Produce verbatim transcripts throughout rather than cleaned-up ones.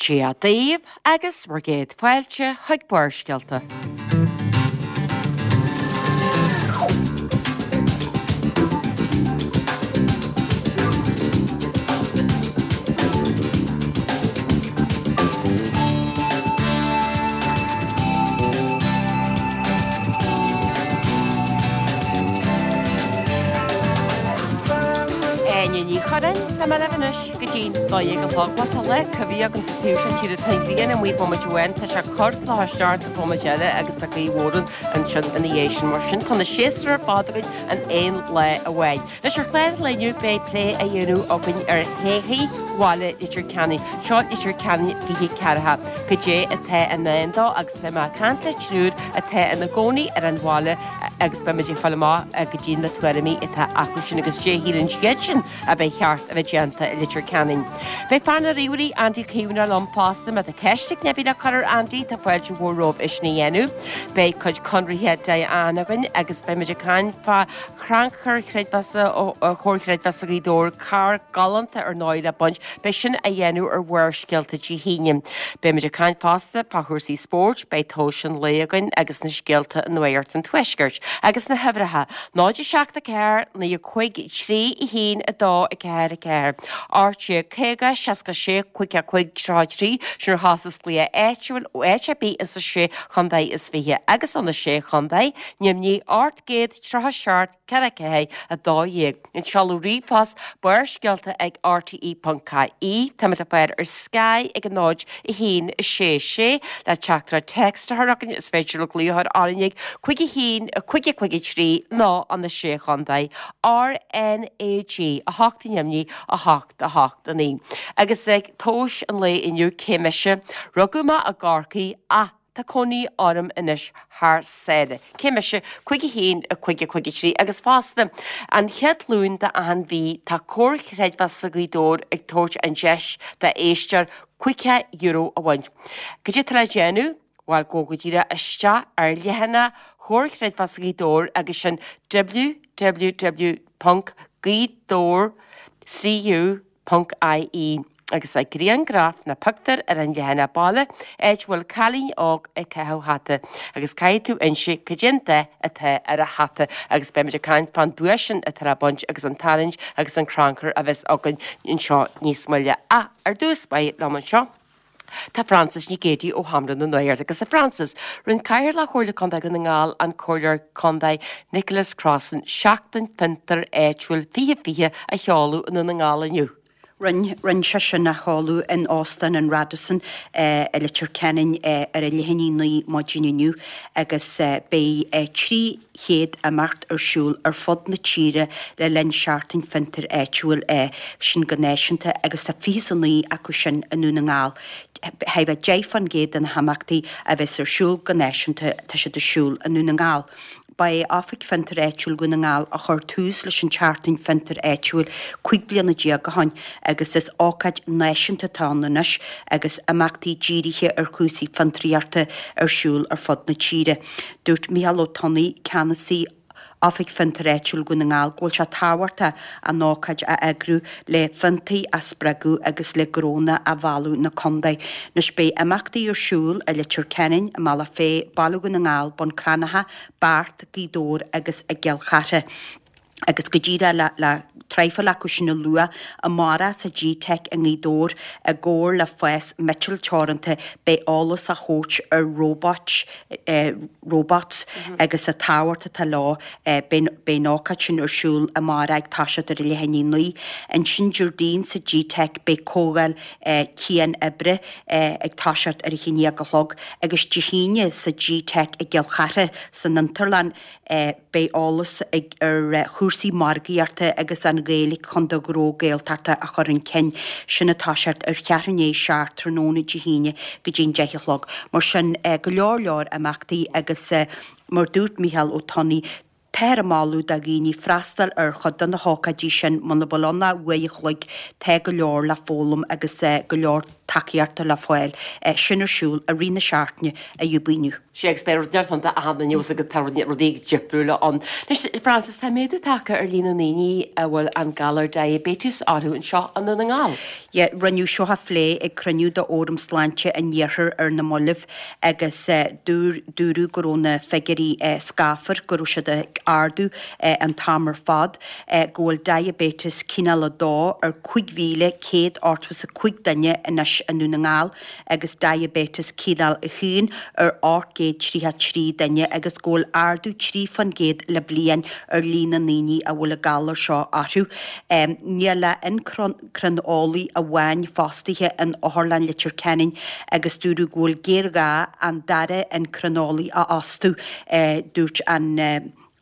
Dia daoibh agus bhur gcéad fáilte chuig Barrscéalta. Áine Ní Churráin, tá mé libh anois go dtí dó dhéag a chlog. Bhuel, tá lá coimhthíoch againn sa taobh seo tíre tá an ghrian amuigh bomaite amháin, tá sé ag cur clocha isteach bomaite eile agus tá gaoth mhór ansin ina dhiaidh sin. Mar sin, tá na séasúir ar fad againn in aon lá amháin. Anois ar chlár an lae inniu beidh plé á dhéanamh againn ar thodhchaí bhaile Leitir Ceanainn. Seo Leitir Ceanainn fiche ceathracha. Cad é atá i ndán dó agus beidh mé ag caint le triúr atá ina gcónaí ar an bhaile agus beidh muid ag fáil amach cad iad na tuairimí atá acu sin agus cad é a shíleann siadsan a ba cheart a bheith déanta i Leitir Ceanainn. Beidh fear na ríomhairí Andy Caomhánach liom fosta. Má tá ceist ag duine ar bith le cur ar Andy tá fáilte mhór romhaibh é sin a dhéanamh. Beidh cuid conraithe Diane againn agus beidh muid ag caint fá chrannchur chreidmheasa Chomhar Creidmheasa Ghaoth Dobhair, carr galánta ar ndóigh le baint, beidh sin á dhéanamh ar Bharrscéalta Dé hAoine. Beidh muid ag caint fosta fá chúrsaí spóirt, beidh tomhais an lae againn agus na scéalta i Nuacht an Tuaiscirt agus na huimhreacha, náid a seacht a ceathair, naoi a cúig, trí a haon a dó a ceathair a ceathair, ocht déag caoga, seasca sé, cúig a cúig, tríocha trí, sin ar chostas glaoch áitiúil ó áit ar bith insa sé chontae is fiche agus ó na sé chontae, Nimhní ocht gcéad tríocha seacht ceathair ceathair a dó dhéag. An seoladh ríomhphost barrscéalta ag rte ponc ie. Táimid le fáil ar Sky ag a náid a haon a sé sé le teachtaireacht text a chur chugainn is féidir le glaoch a chur orainn ag cúig a haon a cúig a cúig a trí nó an na sé chontae R N A G a hocht neamhní a hocht a hocht a naoi. Agus ag tomhais an lae inniu cé mise? Rugadh mé i gCorcaigh ach tá cónaí orm anois thar sáile. Cé mise? Cúig a haon a cúig a cúig a trí agus fosta an chéad Luan d'achan mhí tá Comhar Creidmheasa Ghaoth Dobhair ag tabhairt an deis d'éisteoir caoga euro a bhaint. Cad é atá le déanamh? Bhuel gabh go díreach isteach ar leathanach Chomhar Creidmheasa Ghaoth Dobhair agus sin www ponc gaoth dobhair cu ponc ie agus tá grianghraf nó pictiúr ar an leathanach baile áit a bhfuil cailín óg ag caitheamh hata agus caithfidh tú inse cad é an dath atá ar a hata agus beimid ag caint fán duais sin atá le baint agus an tarraingt agus an crannchur a bheas againn anseo níos moille. Ach ar dtús báire liom anseo Tá Frances Nic Géadaigh ó Sheomra na Nuachta agus a Frances, rinne Cathaoirleach Chomhairle Contae Dhún na nGall an Comhairleoir Contae Nicholas Crossan Seachtain Fiontar Áitiúil fiche fiche a sheoladh i nDún na nGall inniu. Rinne rinne sé sin a sheoladh in Óstán an Radisson i Leitir Ceanainn ar a leath i ndiaidh a naoi maidin inniu agus beidh trí chéad imeacht ar siúl ar fud na tíre le linn Seachtain Fiontair Áitiúil sin go náisiúnta agus tá fiche is a naoi acu sin i nDún na nGall. Thart fá deich faoin gcéad de na himeachtaí a bheas ar siúl go náisiúnta tá siad ar siúl i nDún na nGall. Ba é Oifig Fiontair Áitiúil Dhún na nGall a chuir tús leis an tSeachtain Fiontair Áitiúil cúig bliana déag ó shin agus is ócáid náisiúnta atá ann anois agus imeachtaí dírithe ar chúrsaí fiontraíochta ar siúl ar fud na tíre. Dúirt Micheál Ó Tonnaigh, ceannasaí Oifig Fiontair Áitiúil Dhún na nGall go bhfuil sé tábhachtach an ócáid a eagrú le fiontair a spreagadh agus le gnónna a mhealladh 'na contae. Anois beidh imeachtaí ar siúl i Leitir Ceanainn, i mBealach Féich, Baile Dhún na nGall, Bun Cranncha, Beart, Gaoth Dobhair agus i gCill Chartha. Agus go díreach le le traidhfil acu sin a lua, amárach sa G-Teic i nGaoth Dobhair, i gcomhar le Fás Miotail Teoranta, beidh eolas á thabhairt ar róbait, robots, agus an tábhacht atá leo. Beidh an ócáid sin ar siúl amárach ag toiseacht ar a leath i ndiaidh a naoi. Ansin Déardaoin sa G-Teic beidh comhdháil cian-oibre ag toiseacht ar a haon déag a chlog agus Dé hAoine sa G-Teic i gCill Chartha san Fhiontarlann, Beidh eolas ar chúrsaí margaíochta agus an Ghaeilge chun do ghnó Gaeltachta a chur chun cinn. Sin ag toiseacht ar cheathrú i ndiaidh a seacht tráthnóna Dé hAoine go dtí an deich a chlog. Mar sin, go leor leor imeachtaí agus mar dúirt Micheál Ó Tonnaigh, táthar ag moladh do dhaoine freastal ar chuid de na hócáidí sin muna bhfuil ann ach uair a chloig, tá go leor le foghlaim agus go leor tacaíochta le fáil. Sin ar siúl i rith na seachtaine a Dúbaí inniu. Sea, agus beidh rud ann d'achan duine agus tá rudaí difriúla ann. Anois, Frances, tá méadú tagtha ar líon na ndaoine a bhfuil an galar diabetes orthu anseo i nDún na nGall. Yeah, rinneadh seo a phlé ag cruinniú de Fhóram Sláinte an Iarthair ar na mallaibh agus dúradh go raibh na figiúirí scáfar, go raibh siad ag ardú an t-am ar fad, go bhfuil diabetes cineál a dó ar cúig mhíle céad ochtó is a cúig duine anois i nDún na nGall agus diabetes cineál a haon ar ocht gcéad tríocha trí duine agus go bhfuil ardú trí faoin gcéad le bliain ar líon na ndaoine a bhfuil an galar seo orthu. Níl ach eincrineolaí amháin fostaithe in Otharlann Leitir Ceanainn agus dúradh go bhfuil géarghá an dara eincrineolaí a fhostú, dúirt an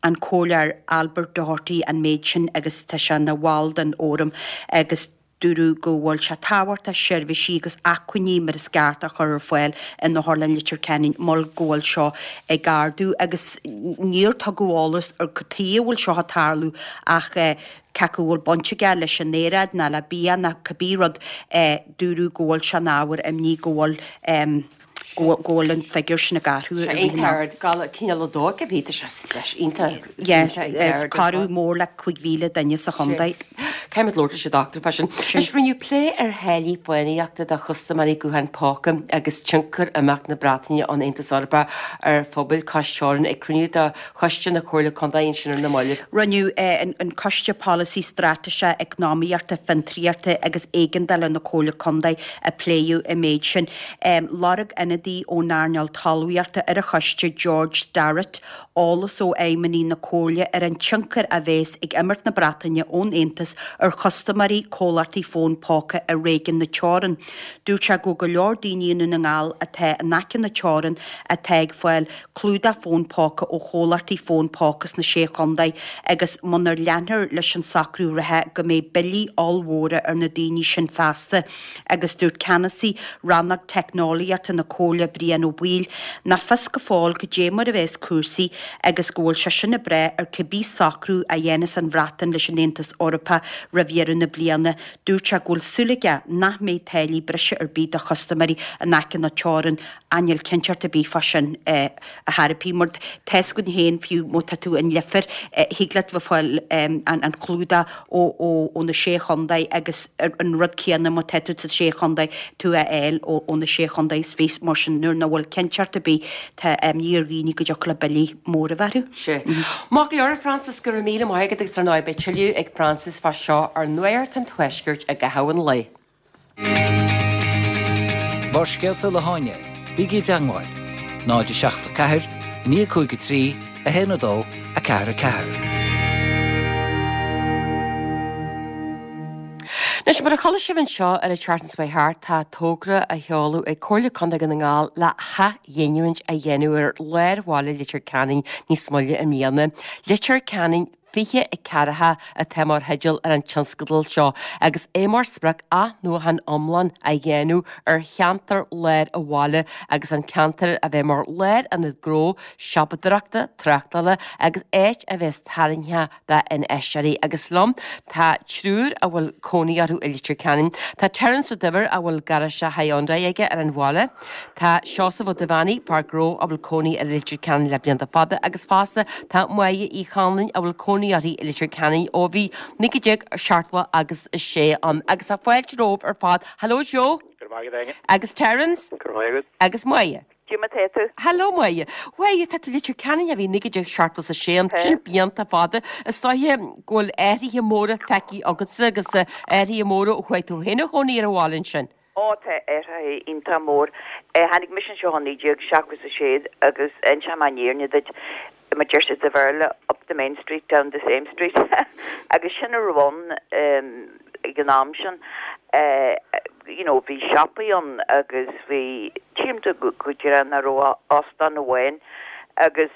an Comhairleoir Albert Doherty an méid sin agus tá sé ina bhall den fhóram agus dúradh go bhfuil sé tábhachtach seirbhísí agus acmhainní mar is ceart a chur ar fáil in Otharlann Leitir Ceanainn mar go bhfuil seo ag ardú agus níor tugadh eolas ar cad chuige a bhfuil seo ag tarlú ach cé acu bhfuil baint aige leis an aeráid ná le bia ná cibé rud dúradh go bhfuil sé ina ábhar imní go bhfuil go bhfuil an figiúr sin ag athrú ar an ard galar cineál a dó cibé tá sé speis iontach Yeah, is corradh mór le cúig mhíle duine sa chontae. Caithfimid labhairt leis an dochtúir fá sin. Anois rinneadh plé ar tháillí fónaíochta do chustaiméirí gutháin póca agus tionchar imeacht na Breataine ón Aontas Eorpach ar phobail cois teorann ag cruinniú de Choiste na Comhairle Contae ansin ar na mallaibh. Rinneadh an Coiste Polasaí Straitéise Eacnamaíochta, Fiontraíochta agus Éigeandála na Comhairle Contae a pléadh an méid sin. Lorg ionadaí ón earnáil talmhaíochta ar an choiste George Starrett eolas ó fheidhmeannaigh na Comhairle ar an tionchar a bheas ag imeacht na Breataine ón Aontas ar chustaiméirí comhlachtaí fón póca i réigiún na teorann. Dúirt sé go go leor daoine i nDún na nGall atá in aice na teorann atá ag fáil clúdach fón póca ó chomhlachtaí fón póca sna Sé Chontae agus munar leanfar leis an socrú reatha go mbeidh billí ollmhóra ar na daoine sin feasta agus dúirt ceannasaí rannóg teicneolaíochta na Comhairle Brian Ó Baoill nach fios go fóill goidé mar a bheas cúrsaí agus go bhfuil sé sin ag brath ar cibé socrú a dhéanas an Bhreatain leis an Aontas Eorpach roimh dheireadh na bliana. Dúirt sé go bhfuil súil aige nach mbeidh táillí breise ar bith do chustaiméirí in aice na teorann ach níl cinnteacht ar bith fá sin a thairpí mar tá a fhios againn féin fiú má tá tú in Leifear thig leat bheith fáil an clúdach ó ó na sé chontae agus an rud céanna má tá tú sa sé chontae tú a fháil ó na sé chontae is fiche mar sin nuair nach bhfuil cinnteacht ar bith tá imní ar dhaoine go dtiocfadh le billí móra a bheith orthu. Sea. Maith go leor, a Frances, go raibh míle maith agat agus ar ndóigh beidh tuilleadh ag Frances fá seo ar Nuacht an Tuaiscirt i gcaitheamh an lae. Barrscéalta le hÁine, bígí i dteagmháil, náid a seacht a ceathair, naoi cúig a trí, a haon a dó, a ceathair a ceathair. Anois, mar a chuala sibh anseo ar an tseachtain seo thart, tá togra á sheoladh ag Comhairle Contae Dhún na nGall le hathghiniúint a dhéanamh ar lár bhaile Leitir Ceanainn níos moille i mbliana. Leitir Ceanainn fiche a ceathracha atá mar theideal ar an tionscadal seo agus é mar sprioc athnuachan iomlán a dhéanamh ar cheantar lár an bhaile agus an ceantar a bheith mar lárionad gnó, siopadóireachta, tráchtála agus áit a bheas tarraingteach d'infheisteoirí. Agus liom tá triúr a bhfuil cónaí orthu i Leitir Ceanainn. Tá Terence Ó Duibhir a bhfuil garáiste Hyundai aige ar an bhaile. Tá Seosamh Ó Duibheannaigh, fear gnó a bhfuil cónaí air i Leitir Ceanainn le blianta fada agus fosta tá Máire Uí Chonláin a bhfuil cónaí uirthi i Leitir Ceanainn ó bhí naoi déag seachtó agus a sé ann. Agus tá fáilte romhaibh ar fad. Hello Joe. Go raibh maith agat Áine. Agus Terence. Go raibh maith agat. Agus Máire. Goidé mar tá tú. Hello Máire. Mháire, tá tú i Leitir Ceanainn ó bhí naoi déag seachtó is a sé ann, sin blianta fada. Is dóiche go bhfuil athruithe móra feicthe agatsa agus athruithe móra ó chuaigh tú féin a chónaí ar an bhaile ansin. Ó tá athruithe iontach mór. Tháinig mise anseo i naoi déag seachtó is a sé agus inseoidh mé an fhírinne duit, mar deir siad sa Bhéarla, up the main street, down the same street agus sin a raibh ann ag an am sin. You know, bhí siopaí ann agus bhí, tchím go díreach nach raibh óstán amháin agus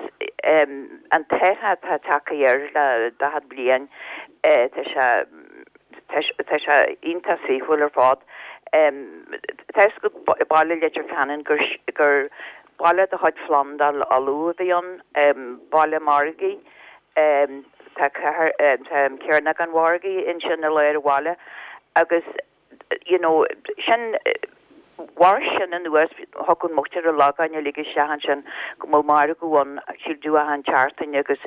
an t-athrú atá tagtha air le daichead bliain, tá sé, tá sé iontach saoithiúil ar fad. Tá a fhios agat baile Leitir Ceanainn gur, gur baile de chuid Phlandáil Uladh a bhí ann, baile margaidh. Tá cathair, tá Cearnóg an Mhargaidh ansin i lár an bhaile agus you know sin bharr sin anuas thug an muintir Ó Lagáin uilig isteach ansin go mbeadh margadh ann síl tú achan tseachtain agus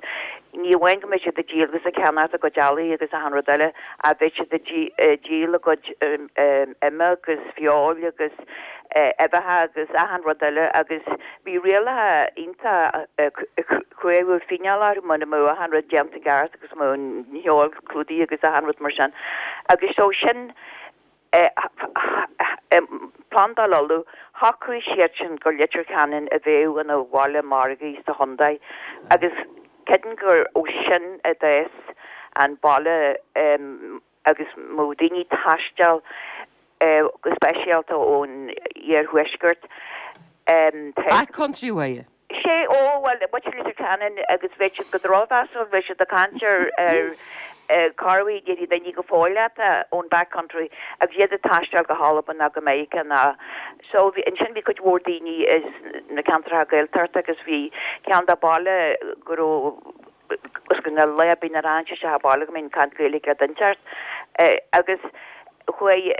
ní amháin go mbeadh siad ag díol agus ag ceannacht a gcuid eallaigh agus achan rud eile ach bheadh siad ag díol a gcuid ime agus feoil agus uibheacha agus achan rud eile agus bhí rialacha iontach crua fíneáil orthu muna mbeadh achan rud déanta i gceart agus mbeadh an fheoil clúdaithe agus achan rud mar sin agus so sin Plandáil Uladh, shocraigh siadsan gur Leitir Ceanainn a bheadh ina bhaile margaidh sa chontae agus creidim gur ó sin a d'fhás an baile agus mbeadh daoine ag taisteal go speisialta ón iarthuaisceart. Back country way. Sé, ó, bhuel, muintir Leitir Ceanainn agus bheadh siad go drochmheasúil, bheadh siad ag caint ar, ar corruair déarfaidh daoine go fóill leat ón back country agus iad ag taisteal go hAlbain ná go Meiriceá ná so bhí, ansin bhí cuid mhór daoine is na ceantracha Gaeltachta agus bhí ceann de baile go raibh agus go na lá ar bith nuair a thagann isteach abhaile go mbíonn caint Gaeilge le duinteacht agus chuaigh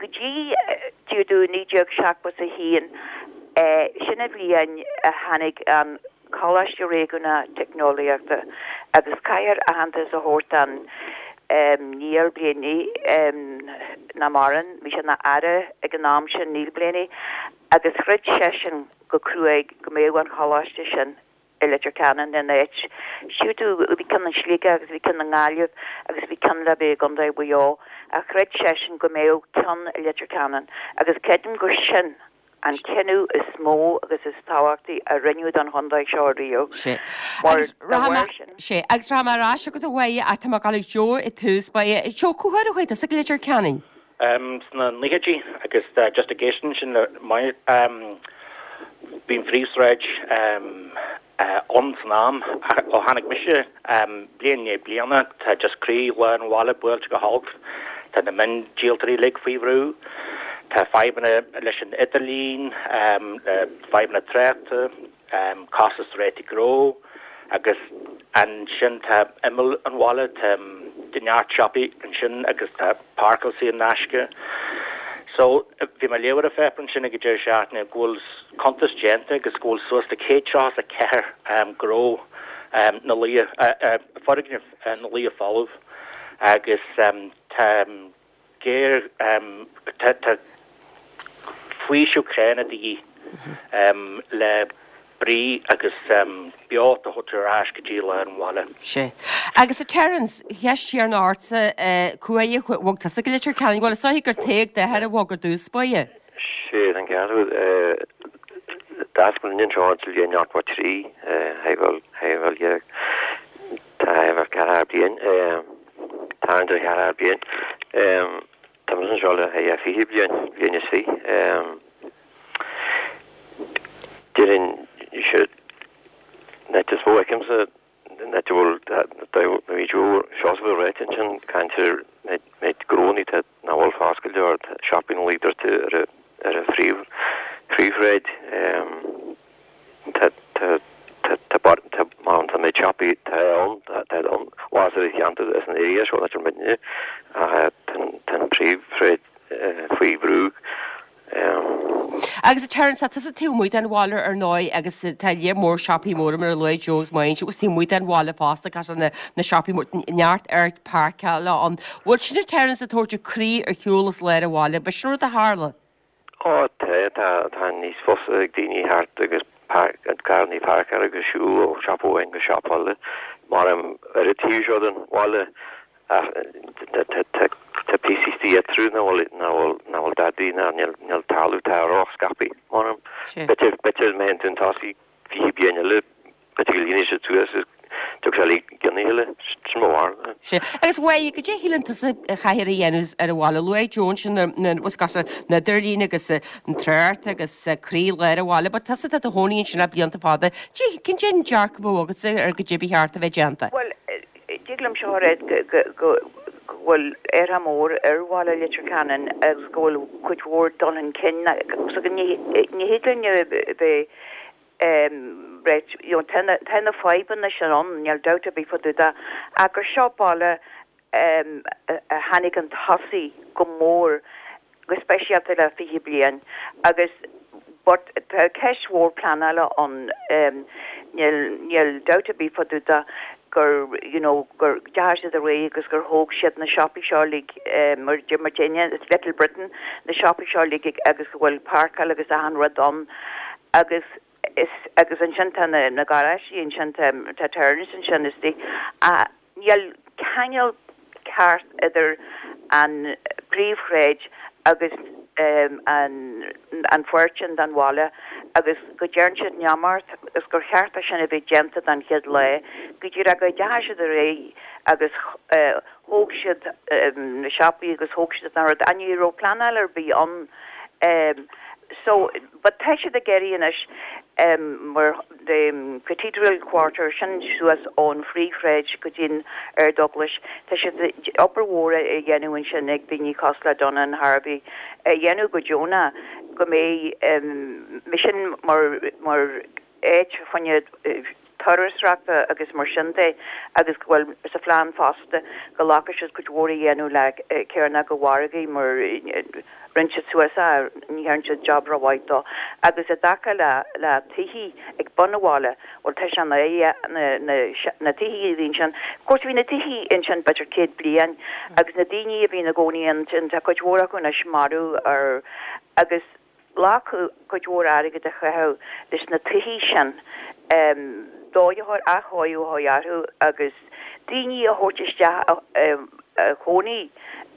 go dtí deireadh naoi déag seachtó is a haon sin an bhliain a tháinig an Coláiste Réigiúnach Teicneolaíochta agus caithfear aitheantas a thabhairt don Niall Blaney nach maireann, bhí sé ina aire ag an am sin, Neil Blaney, agus throid seisean go cruaidh go mbeadh an choláiste sin i Leitir Ceanainn in áit. Siúd tú, bhí ceann i Sligeach agus bhí ceann i nGaillimh agus bhí ceann le bheith i gContae Mhaigh Eo ach chreid seisean go mbeadh ceann i Leitir Ceanainn agus creidim gur sin an cinneadh is mó agus is tábhachtaí a rinneadh don chontae seo riamh. Sé. Mar Agus dá rachaidh mé, bharr sin. sé, agus rachaidh mé ar ais chugat a Mháire ach tá mé ag gabháil ag Joe i dtús báire. Joe, cá huair a chuaigh tusa go Leitir Ceanainn? Sna naochaidí agus just ag éisteacht ansin le Máire, bhí an phríomhshráid ann san am ó tháinig mise, bliain i ndiaidh bliana, tá just croí lár an bhaile buailte go holc, tá na miondíoltóirí uilig faoi bhrú, tá fadhbanna leis an idirlíon, fadhbanna tráchta, costas rátaí gnó agus ansin tá imeall an bhaile, tá neart siopaí ansin agus tá páirceáil saor in aisce. So, bhí mé ag léamh ar an pháipéar ansin ag an deireadh seachtaine go bhfuil cuntas déanta agus go bhfuil suas le céad tríocha is a ceathair gnó ina luí, foirgneamh ina luí folamh agus tá géar, tá, tá faoiseamh críonna de dhíth le brí agus beocht a thabhairt ar ais go dtí lár an bhaile. Sea. Agus a Terence, cheist chéanna ortsa, cá huair a bhog tusa go Leitir Ceanainn? Bhuel, is dóiche gur taobh d'athair a bhog ar dtús báire. Sea, tá an ceart agat. D'fhás mo linn anseo sa bhliain ochtó trí, shé bhuel dhéag, tá bhuel ceathracha bliain, tarraingt ar cheathracha bliain. Tá mise anseo le fiche bliain, bliain is fiche. Déarfainn sé an áit is mó a fheicimse an áit a bhfuil bhí Joe Seosamh ag ráit ansin caint ar méid gnónnaí tá nach bhfuil foscailte or siopaí ina luí druidte ar a ar a phríomh phríomhshráid. Tá tá tá tá bar tá má tá méid siopaí tá ann tá tá ann bhás ar an cheantar is an area seo áit a bhfuil muidne ach tá tá an phríomhshráid faoi bhrú. Agus a Terence, tá tusa taobh amuigh den bhaile ar ndóigh agus tá lear mór siopaí móra mar a luaigh Joe agus Máire agus taobh amuigh den bhaile fosta cosúil na na siopaí mór neart áit páirceála ann. Bhfuil sin a Terence ag tabhairt an croí ar shiúl as lár an bhaile? B'shin rud a tharla? Ó tá, tá, tá níos fusa ag daoine thart agus carrannaí páirceáil agus siúl ó siopa amháin go siopa eile mar ar an taobh seo den bhaile. Ach tá píosaí istigh eatarthu nach bhfuil, nach bhfuil, nach bhfuil dadaí ná níl, níl talamh, tá ró-scaipthe, mar b'fhéidir, b'fhéidir má théann tú chun tosaigh fiche bliain eile, b'fhéidir go líonfaidh siad suas agus tiocfaidh sé le gionnaí eile, sin mo bharúil. Sea. Agus a Mháire, goidé a shíleann tusa a chaithfear a dhéanamh ar an bhaile? Luaigh Joe ansin na, na, bhfuil a fhios agat, an idirlíon agus an trácht agus croí lár an bhaile, but tusa atá i do chónaí ansin le blianta fada, cé, cén cén dearcadh a bheadh agatsa ar goidé ba cheart a bheith déanta? Bhuel, Tig liom seo a rá go go bhfuil athrú mór ar bhaile Leitir Ceanainn agus go bhfuil cuid mhór dul chun cinn so ní ní thig linn a bheith right you know tá na tá na fadhbanna sin ann níl dabht ar bith fá dtaobh de ach gur seo baile a tháinig chun tosaigh go mór go speisialta le fiche bliain agus but tá ceist mhór pleanála ann um, níl níl dabht ar bith fá dtaobh de gur you know gur deachaigh siad ar aghaidh agus gur thóg siad na siopaí seo like um, mar mar déine Little Britain na siopaí seo like agus go bhfuil páirceáil agus achan rud ann agus is agus ansin tá na na garáistí ansin tá tá Terence ansin is di a níl ceangal ceart idir an príomhshráid agus um, an an pháirt sin den bhaile agus go dtearn siad neamart agus gur cheart é sin a bheith déanta den chéad lá go dtí go ndeachaigh siad ar aghaidh agus uh, thóg siad um, na siopaí agus thóg siad an rud an ní raibh pleanáil ar bith ann um, so but tá siad ag iarraidh anois um, mar the Cathedral Quarter sin suas ón phríomhshráid go dtí an Ardeaglais tá siad obair mhór a dhéanamh ansin ag daoine cosúil le Donnan Harvey a dhéanamh go deonach go mbeidh um, sin mar mar áit fá choinne turasóireachta agus mar sin de agus go bhfuil sa phlean fosta go bhféadfadh siad cuid mhór a dhéanamh le cearnóg an mhargaidh mar rinne siad suas a ní dhearna siad job rómhaith dó agus i dtaca le le tithe ag bun an bhaile bhuel tá sé na na na tithe a bhí ansin Course bhí na tithe ansin b'fhéidir céad bliain agus na daoine a bhí ina gcónaí ansin tá cuid mhór acu anois marbh ar agus glacadh cuid mhór airgead a chaitheamh leis na tithe sin um, dóigh athchóiriú a orthu agus daoine a thabhairt isteach a chónaí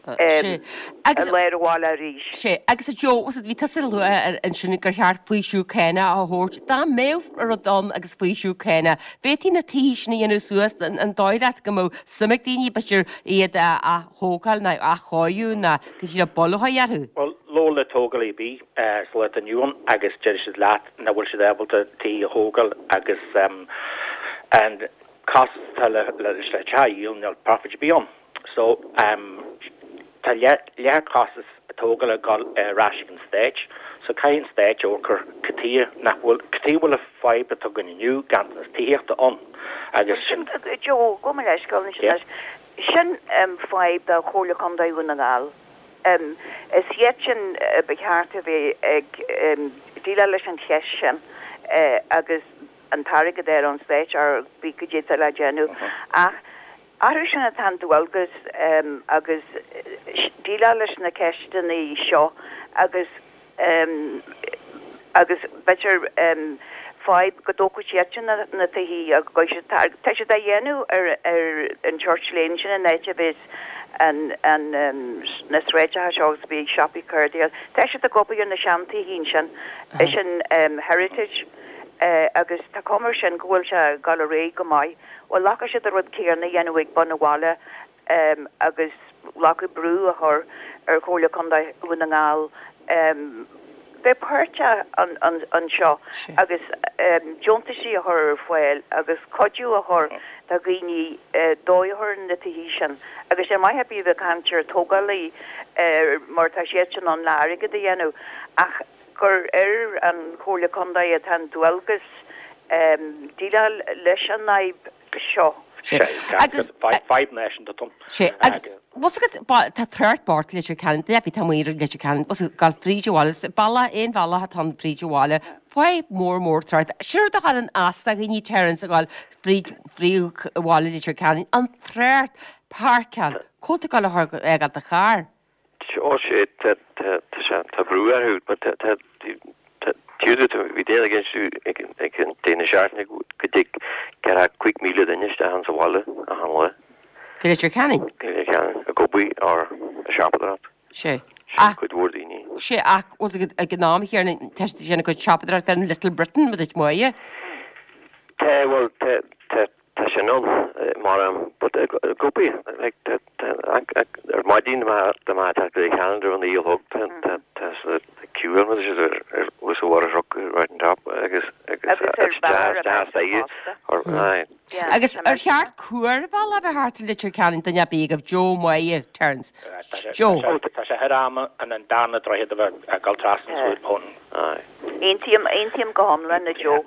agus léir bháile arís. Sé agus a Joe bhí tusa ag lua ansin gur cheart faoiseamh cánach a thabhairt dá mbeadh rud ann agus faoiseamh cánach. B'fhéidir na tithe sin a dhéanamh suas an dóigh leat go mbeadh suim ag daoine b'fhéidir iad a thógáil ná athchóiriú ná go dtí le boláthaí orthu. Well labhair le tógálaí ar bith sa lá atá inniu ann agus deir siad leat nach bhfuil siad ábalta tí a thógáil agus um, and costas atá le le le teach a dhíol níl profit ar bith ann. So um, tá leath costas tógála ag dul ar ais ag an stát, so caithfidh an stát amharc cad chuige nach bhfuil cad chuige bhfuil an fhadhb atá againn inniu ganntanas tithíochta ann agus sin Joe go mba leisceáil sin um, fadhb do Chomhairle Contae Dhún na nGall. Um, is iad sin uh, ba cheart a bheith ag um, déileáil leis an cheist sin uh, agus an t-airgead ar an stát ar bí go dtí le déanamh ach Arú sin atá an dualgas um, agus déileáil leis na ceisteanna seo agus um, agus b'fhéidir um, fadhb go dtógfaidh siad na na tithe agus go tá siad a dhéanamh ar ar an Church Lane sin an áit a bhí an an um, na sráideacha seo agus bhí siopaí cuardaíl. Tá siad ag obair ar na seantithe sin é sin um, heritage uh, agus tá cuma sin go bhfuil sé ag dul ar aghaidh go maith. Well glacadh siad a rud céanna a dhéanamh ag bun an bhaile um, agus glacadh brú a chur ar Chomhairle Contae Dhún na nGall um, bheith páirteach an, an, anseo agus um, deontaisí a chur ar fáil agus cuidiú a chur do dhaoine uh, dóigh na tithe sin. agus sé maith bí bheith caint ar tógálaí uh, mar tá siad sin an le airgead a dhéanamh ach gur ar an Chomhairle Contae atá an dualgas um, déileáil leis an fhadhb seo. Agus fadhb náisiúnta tom. Sé agus Was tá trácht bart Leitir Ceanainn de tá muir Leitir Ceanainn was gal fríde bhile balla aon bhalla atá fríd an bhaile fadhb mór mór trácht. Siúr do an asta ní Terence a gáil fríd bhaile Leitir Ceanainn an trácht páirceáil Cóta gal ag a char. Ó sé tá brú orthu bhí déna ag ag an déna seaachtaine go dtig ceathracha cúig míle duine isteach sa bhaile achan lá. Go Leitir Ceanainn? Ag obair ar siopadóireacht. Sé. Cuid mhór daoine. Sé ach was ag an am chéanna tá sin go siopadóireacht an Little Britain mu muide? Tá well tá sin ann mar gopi ar maidin de má go calendar an í thug queue was a water rock right on top agus Agus ar cheart cuarbhalla bheith thart ar Leitir Ceanainn duine bí go Joe Moye Terence. Joe Tá sé am an an darna droichead a bheith ag dul trasna hon. Aontaím aontaím go hiomlán le Joe.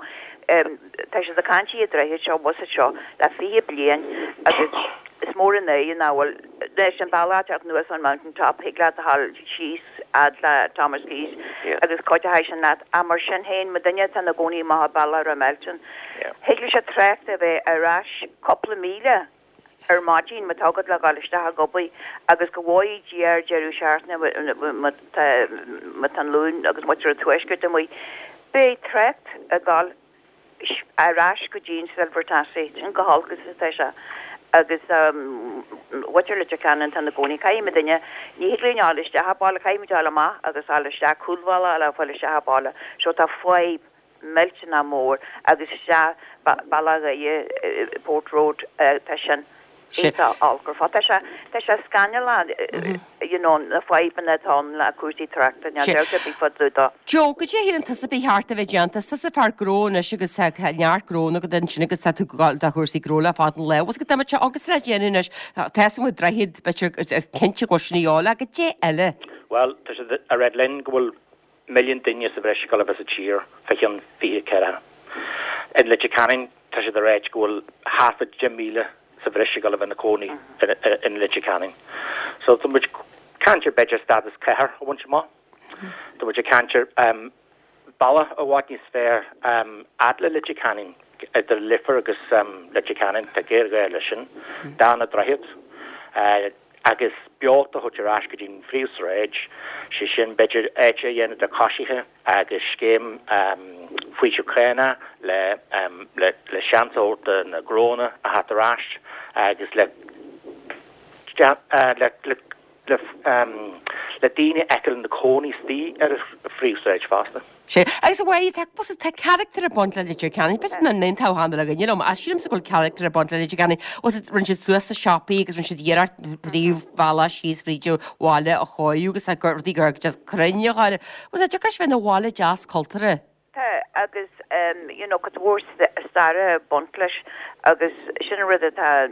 Um, tá sé a caintí a droichead seo was seo le fiche bliain agus is mór an é nach bhfuil leis an bealach teacht anuas an Mountain Top thig leat a ghabháil síos fhad le Thomas Keyes agus cuid sin leat ach mar sin féin má duine atá ina gcónaí amach bealach Ramelton. Thig leis an trácht a bheith ar ais cúpla míle ar maidin má tá agat le dhul isteach ag obair agus go bhfóire Dia ar deireadh seachtaine má tá an Luan agus muintir an tuaiscirt amuigh. Beidh trácht ag dul ar ais go dtí an Silver Taxi, sin go holc is atá sé. Agus muintir Leitir Ceanainn atá ina gcónaí, caithfidh muid duine, ní thig linn fháil isteach a' baile, caithfidh muid fháil amach agus fháil isteach cúlbhealach le fáil isteach a' baile. So tá fadhb millteanach mór agus isteach Bealach Dhoire, Port Road, tá sin. Iontach olc ar fad. Tá sé, tá sé scannalach, you know, na fadhbanna atá ann le cúrsaí tráchta, níl dabht ar bith fá dtaobh dó. Joe, goidé a shíleann tusa ba cheart a bheith déanta? Is tusa fear gnó anois agus tá neart gnónna agat ansin agus tá tú ag gabháil do chúrsaí gnó le fada an lá. Bhfuil 's agat dá mbeadh sé agus le déanamh anois, tá 's agam droichead, b'fhéidir, is cinnte go bhfuil sin a dhíobháil ach goidé eile? Bhuel, tá siad ag ráit linn go bhfuil milliún duine sa bhreis ag dul a bheith sa tír fá cheann fiche ceathracha. In Leitir Ceanainn, tá siad ag ráit go bhfuil thart fá deich míle sa bhreis ag dul a bheith ina cónaí in Leitir Ceanainn. So tá muid ag caint ar b'fhéidir stádas cathair a bhaint amach. Tá muid ag caint ar bealach i bhfad níos fearr fhad le Leitir Ceanainn, idir Leifear agus Leitir Ceanainn, tá géarghá leis sin, dath na droichead agus beocht a thabhairt ar ais go dtí an phríomhshráid, sé sin b'fhéidir áit a dhéanamh do choisithe agus scéim faoiseamh cánach le le seans a thabhairt do na gnónna a theacht ar ais agus le le le le daoine a fheiceáil ina cónaí istigh ar an phríomhshráid fosta. Sea. Agus a Mháire, tá, bhuel, tá carachtar ag baint le Leitir Ceanainn. B'fhéidir nach n-aontódh achan duine liom, ach sílimse go bhfuil carachtar ag baint le Leitir Ceanainn. Bhuel, rinne siad suas na siopaí agus rinne siad iarracht príomhbhealach síos fríd an bhaile a chóiriú agus tá rudaí gur just cruinn a gháire. Bhuel, tá deacair bheith ina bhaile deas cultúrtha. Tá, agus you know, cuid mhór staire ag baint leis agus sin an rud atá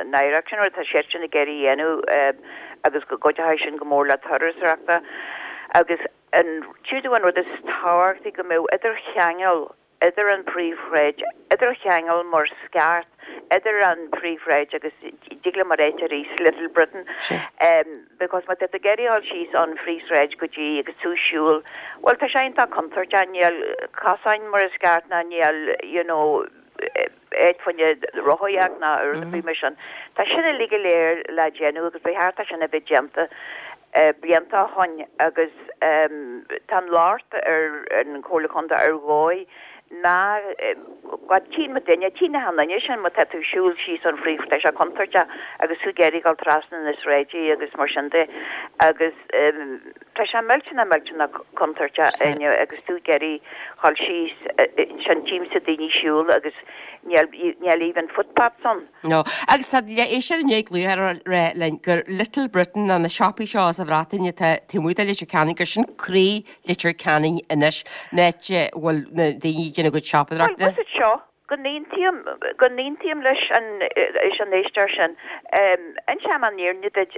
náireach, sin an rud atá siadsan ag iarraidh a dhéanamh agus go gcuideoidh sin go mór le turasóireachta agus an tríú an rud is tábhachtaí go mbeadh idircheangal idir an príomhshráid, idircheangal mar sceart idir an príomhshráid agus dig liom a ráit arís Little Britain um, because má tá tú ag iarraidh dul síos an phríomhshráid go dtí agus tú ag siúl, well tá sé iontach contúirteach níl cosáin mar is ceart ná níl you know, áit fá choinne rothaíocht ná rud ar bith mar sin. Tá sin uilig go léir le déanamh agus ba cheart é sin a bheith déanta blianta ó shin agus tá an locht ar an Chomhairle Contae ar dhóigh ná go tchíonn muid duine, tchíonn na duine sin má tá tú ag siúl síos an phríomh, tá sé contúirteach agus tú ag iarraidh dul trasna na sráide agus mar sin de agus tá sé millteanach millteanach contúirteach inniu agus tú ag iarraidh dul síos sin tchímse daoine ag siúl agus níl níl even footpaths ann. No. Agus tá éisteoir inné ag glaoch ar linn gur Little Britain ná na siopaí seo sa Bhreatain atá taobh amuigh de Leitir Ceanainn gur sin croí Leitir Ceanainn anois an áit a bhfuil na daoine ag déanamh a gcuid siopadóireachta. Bhuel, is seo go n-aontaím go n-aontaím leis an leis an éisteoir sin. Inseoidh mé an fhírinne duit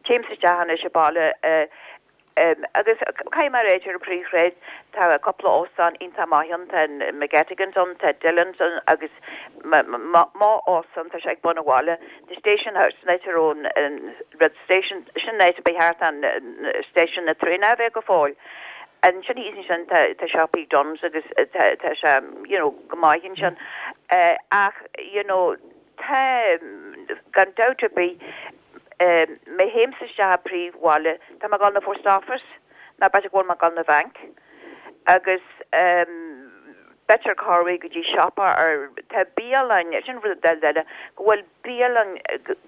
téimse isteach anois i baile agus caithfidh mé a ráit ar an príomhshráid tá cúpla óstán iontach maith ann, tá McGettigan's ann, tá Dillon's ann agus mo óstán tá sé ag bun an bhaile. The Station House san áit a raibh an Red Station sin an áit a ba cheart an station na traenach a bheith go fóill. Ansin thíos ansin tá tá siopaí Dunnes agus tá tá sé you know go maith ansin. Ach you know tá gan dabht ar bith má théimse isteach i príomhbhaile tá mé ag dul na post office ná b'fhéidir go bhfuil mé ag dul na bhank agus b'fhéidir corruair go dtí siopa ar tá bialann sin rud eile go bhfuil bialann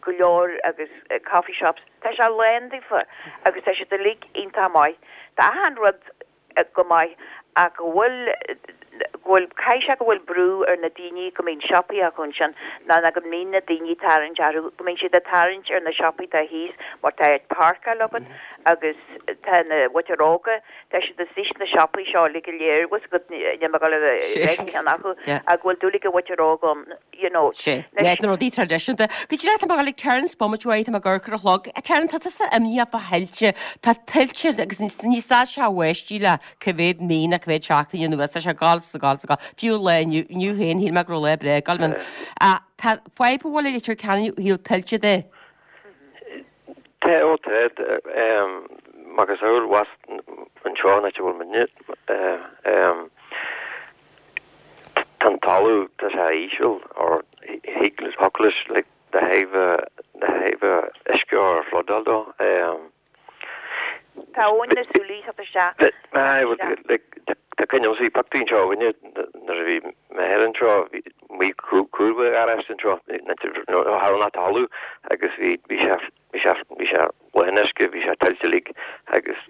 go leor agus coffee shops tá sé lán daofa agus tá siad uilig iontach maith. Tá achan rud go maith ach go bhfuil go bhfuil caithfidh sé go bhfuil brú ar na daoine go mbíonn siopaí acu ansin ná ná go mbíonn na daoine tarraingt orthu go mbíonn siad ag tarraingt ar na siopaí atá thíos mar tá páirceáil agat agus tá na mhuintir óga tá siad istigh sna siopaí seo uilig go léir bhfuil go níl mé ag dul a bheith ceann acu ach go bhfuil dúil ag an mhuintir óg ann you know. Sé, leis na rudaí traidisiúnta. Go díreach tá mé ag dul ag Terence bomaite uaidh tá mé ag amharc ar an chlog. Terence tá tusa imníoch fá thuilte, tá tuilte agus ní stad sé báistí le cá mhéad mí nó cá mhéad seachtain anuas tá sé ag dul is ag dul gabháil sa Fiú lá inniu inniu féin shíl mé go raibh lá breá ag gabháil ann. Tá fadhb a bhfuil i Leitir Ceanainn ó thaobh tuilte de. Tá ó tá macasamhail abhus anseo an áit a bhfuil muidne. Tá an talamh tá sé íseal or thig thiocfadh leis like the thaobh the thaobh uisce or flodáil dó. Tá abhainn na Súilí ag teacht isteach. Aye well like tá cuimhne agamsa bhí pictiúr anseo againne nuair a bhí m'athair anseo bhí amuigh cúl an gharáiste anseo cha raibh ach talamh agus bhí bhí sé bhí sé bhí sé lán uisce bhí sé tuilte uilig agus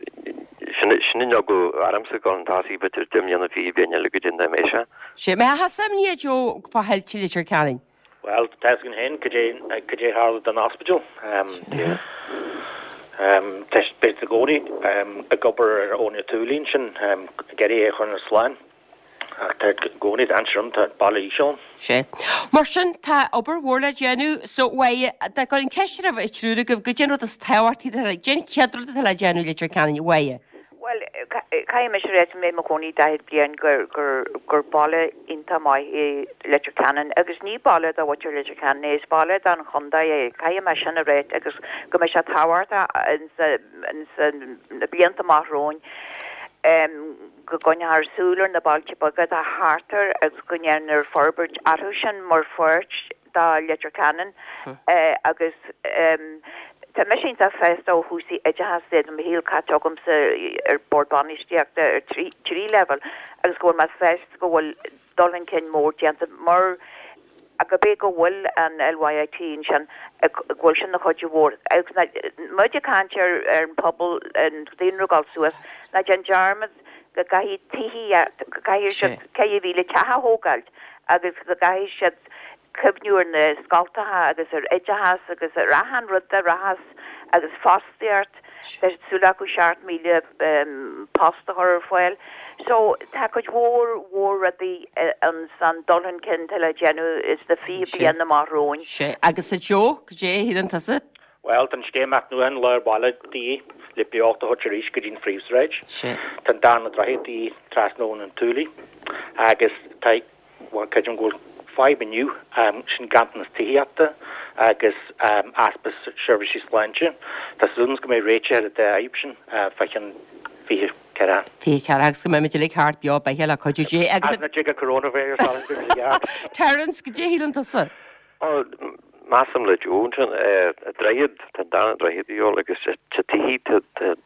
sin sin an eagla ormsa go an tosaí b'fhéidir deich mbliana fiche bliain eile go dtí an dá mbeidh sé. Sé mé a sheasamh i ndiaidh Joe fá thuilte Leitir Ceanainn. Bhuel, tá fhios againn féin cad é cad é tharla don ospidéal. Tá siad i gcónaí ag obair ar Abhainn an tSúilí ansin, ag iarraidh é a chur slán. Ach tá i gcónaí dainséar ann, tá baile íseal ann. Sea. Mar sin, tá obair mhór le déanamh. So, uaidh, dá gcuirfinn ceist oraibh an triúr agaibh, goidé an rud is tábhachtaí atá le, goidé an chéad rud atá le déanamh i Leitir Ceanainn, uaidh? Bhuel, caithfidh mise a rá, tá mé i mo chónaí daichead bliain, gur, gur, gur baile iontach maith é Leitir Ceanainn agus ní baile do mhuintir Leitir Ceanainn é, is baile don chontae é, caithfidh mé sin a rá agus go mbeidh sé tábhachtach ins, ins na blianta amach romhainn go gcoinneofar súil ar na bailte beaga atá thart air agus go ndéanfar forbairt orthu sin mar pháirt do Leitir Ceanainn agus tá mise iontach sásta ó chúrsaí oideachais de, tá mo shaol caite agamsa ar bord bainistíochta ar trí trí leibhéal agus go bhfuil mé sásta go bhfuil dul chun cinn mór déanta mar go bé go bhfuil an LYIT ansin go bhfuil sin ina chuid mhór agus muid ag caint ar ar an pobal an daonra ag dul suas ná déan dearmad go gcaithfidh tithí go gcaithfidh siad ceithre mhíle teach a thógáilt agus go gcaithfidh siad cuimhniú ar na scoltacha agus ar oideachas agus ar achan rud a rachas agus fostaíocht, tá súil acu seacht míle post a chur ar fáil. So tá cuid mhór mhór rudaí ansan dul chun cinn atá le déanamh sna fiche bliain amach romhainn. Sea, agus a Joe, cad é a shíleann tusa? Bhuel, tá an scéim athnuachan lár baile de dhíth le beocht a thabhairt arís go dtí an phríomhshráid. Sea. Tá an darna droichead de dhíth trasna Abhainn an tSúilí agus tá Bhuel, creidim go bhfuil fadhb inniu, sin ganntanas tithíochta agus easpa seirbhísí sláinte. Tá súil agam go mbeidh réiteach ar an dá fhadhb sin fá cheann fiche ceathracha. Fiche ceathracha agus go mbeimid uilig thart beo beathach le cuidiú Dé agus. As na dtiocfaidh coronavirus orainn go mbeidh sé ceart. Terence, goidé a shíleann tusa? Ó, measaim le Joe ansin, droichead, tá an darna droichead de dhíobháil agus tá tithí, tá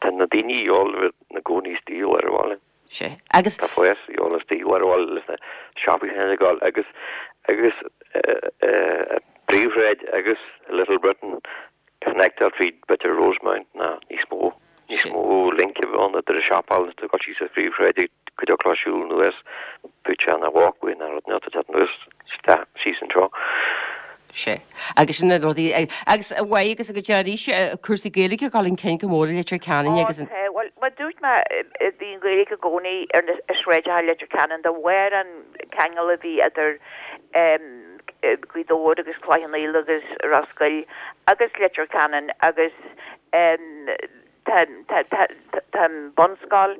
na daoine de dhíobháil a bheith ina gcónaí istigh i lár an bhaile. Sea. Agus. Tá fás de dhíobháil istigh i lár an bhaile leis na siopaí sin ag gabháil agus, agus príomhshráid agus Little Britain connectáil tríd b'fhéidir Rosemount ná níos mó, níos mó link a bheith ann idir an siopa agus tú ag dul síos an phríomhshráid ag go dtiocfadh leo siúl anuas b'fhéidir an walkway ná rud ná tá anuas isteach síos anseo. Sea. Agus sin na rudaí, agus uaidh agus go dtí arís cúrsaí Gaeilge ag dul chun cinn go mór i Leitir Ceanainn Ó agus an. tá, bhuel, mar dúirt mé, bhí an Ghaeilge i gcónaí ar na sráideacha Leitir Ceanainn de bharr an ceangal a bhí idir Gaoth Dobhair agus Cloich Cheann Fhaola agus Ros Goill agus Leitir Ceanainn agus tá, tá, tá, tá an bunscoil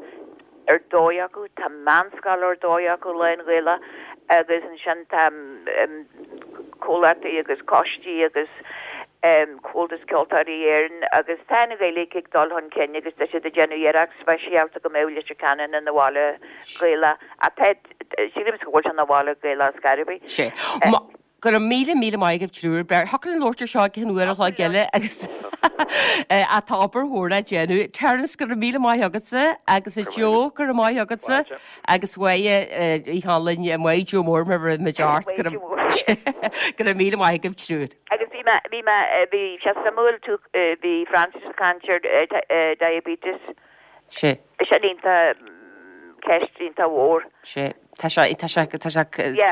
ar dóigh acu, tá meánscoil ar dóigh acu lán-Ghaelach agus ansin tá comhlachtaí agus coistí agus Comhaltas Ceoltóirí Éireann agus tá an Ghaeilge ag dul chun cinn agus tá siad ag déanamh iarracht speisialta go mbeadh Leitir Ceanainn ina bhaile Gaelach ach tá, sílimse go bhfuil sé ina bhaile Gaelach ar scor ar bith. Sea. Go raibh míle míle maith agaibh triúr. Beir thiocfadh linn labhairt ar seo go ceann uair a chloig eile agus tá obair mhór le déanamh. Terence, go raibh míle maith agatsa agus a Joe, go raibh maith agatsa agus uaidh Uí Chonlainn, maith Joe Mór mar a raibh muid ort. Go raibh míle maith agaibh triúr. Agus bhí mé, bhí mé, bhí sé suimiúil tú, bhí Francis ag caint ar diabetes. Sea. Sin iontach, ceist iontach mhór. Sea. Tá sé, tá sé, tá sé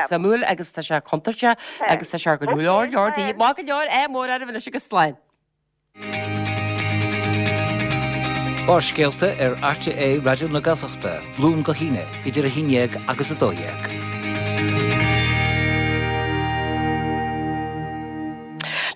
suimiúil agus tá sé contúirteach agus tá sé ar go leor, leor daoine. Maith go leor, ádh mór oraibh anois agus slán. Barrscéalta ar RTÉ Raidió na Gaeltachta, Luan go hAoine, idir a haon déag agus a dó dhéag.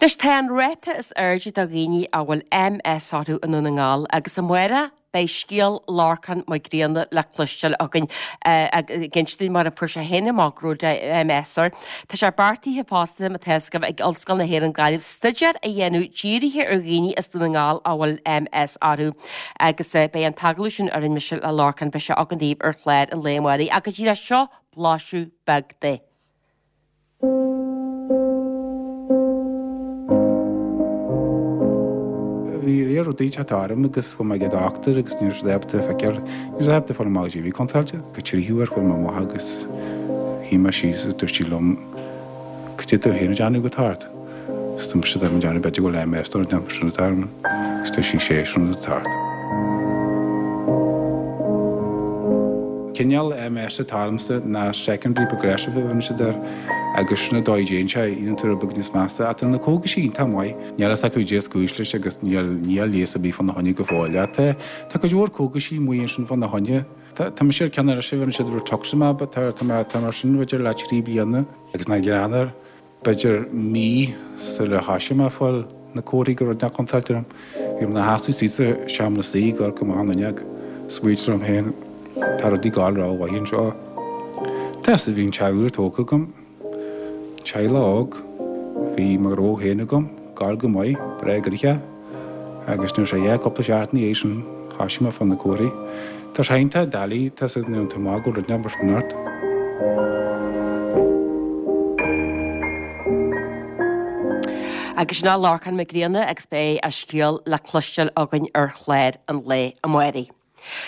Anois tá an ráta is airde de dhaoine a bhfuil MS orthu i nDún na nGall agus amárach, beidh scéal Lorcán Mac Grianna le cloisteáil againn ag insint dúinn mar a fuair sé féin amach go raibh MS air. Tá sé beartaithe fosta má tá fhios agaibh ag Ollscoil na hÉireann Gaillimh staidéar a dhéanamh dírithe ar dhaoine as Dún na nGall a bhfuil MS orthu agus beidh an t-agallamh sin a rinne mise le Lorcán beidh sé againn daoibh ar chlár an lae amárach agus díreach seo blaiseadh beag de. Bhí riar rudaí ag teacht orm agus chuaigh mé ag an dochtúir agus ní raibh siad ábalta feiceáil, ní raibh siad ábalta fáil amach goidé a bhí contráilte. Go trí huair chuaigh mé amach agus shuigh mé síos agus dúirt sí liom, Cad é tú féin ag déanamh go tart? Is dúirt mise, Tá mé ag déanamh b'fhéidir go bhfuil MS nó rud inteacht mar sin atá orm. Agus dúirt sí, Sé sin rud atá ort. Cineál MS atá ormsa ná secondary progressive a bhíonn siad air agus sin an dóigh a dtéann sé, éiríonn tú rud beag níos measa. Ach tá na cógaisí iontach maith. Níl a fhios acu goidé is cúis leis agus níl níl leigheas ar bith fána choinne go fóill. Ach tá tá cuid mhór cógaisí amuigh ansin fána choinne. Tá tá mise ar ceann anois a bhíonn siad rituximab tá tá mé tá mar sin b'fhéidir le trí bliana agus nach greannmhar. B'fhéidir mí sular thoisigh mé ag fáil na comharthaí go raibh rud inteacht contráilte orm, bhí mé ina sheasamh suas sa seomra suí ag amharc amach an fhuinneog, smaointiú liom féin, tá rudaí ag gabháil rómhaith anseo. Tá 'fhios bhí an teach úr tógtha agam, teaghlach óg, bhí mo ghnó féin agam, ag gabháil go maith, breá gnoitheach, agus nuair a sé cúpla seachtain ina dhiaidh sin, thoisigh mé ag fáil na comharthaí. Tá sé iontach doiligh, tá 'fhios agat nuair tú amach go bhfuil rud inteacht mar sin ort. Agus sin é Lorcán Mac Grianna agus beidh a scéal le cloisteáil againn ar chlár an lae amáirigh.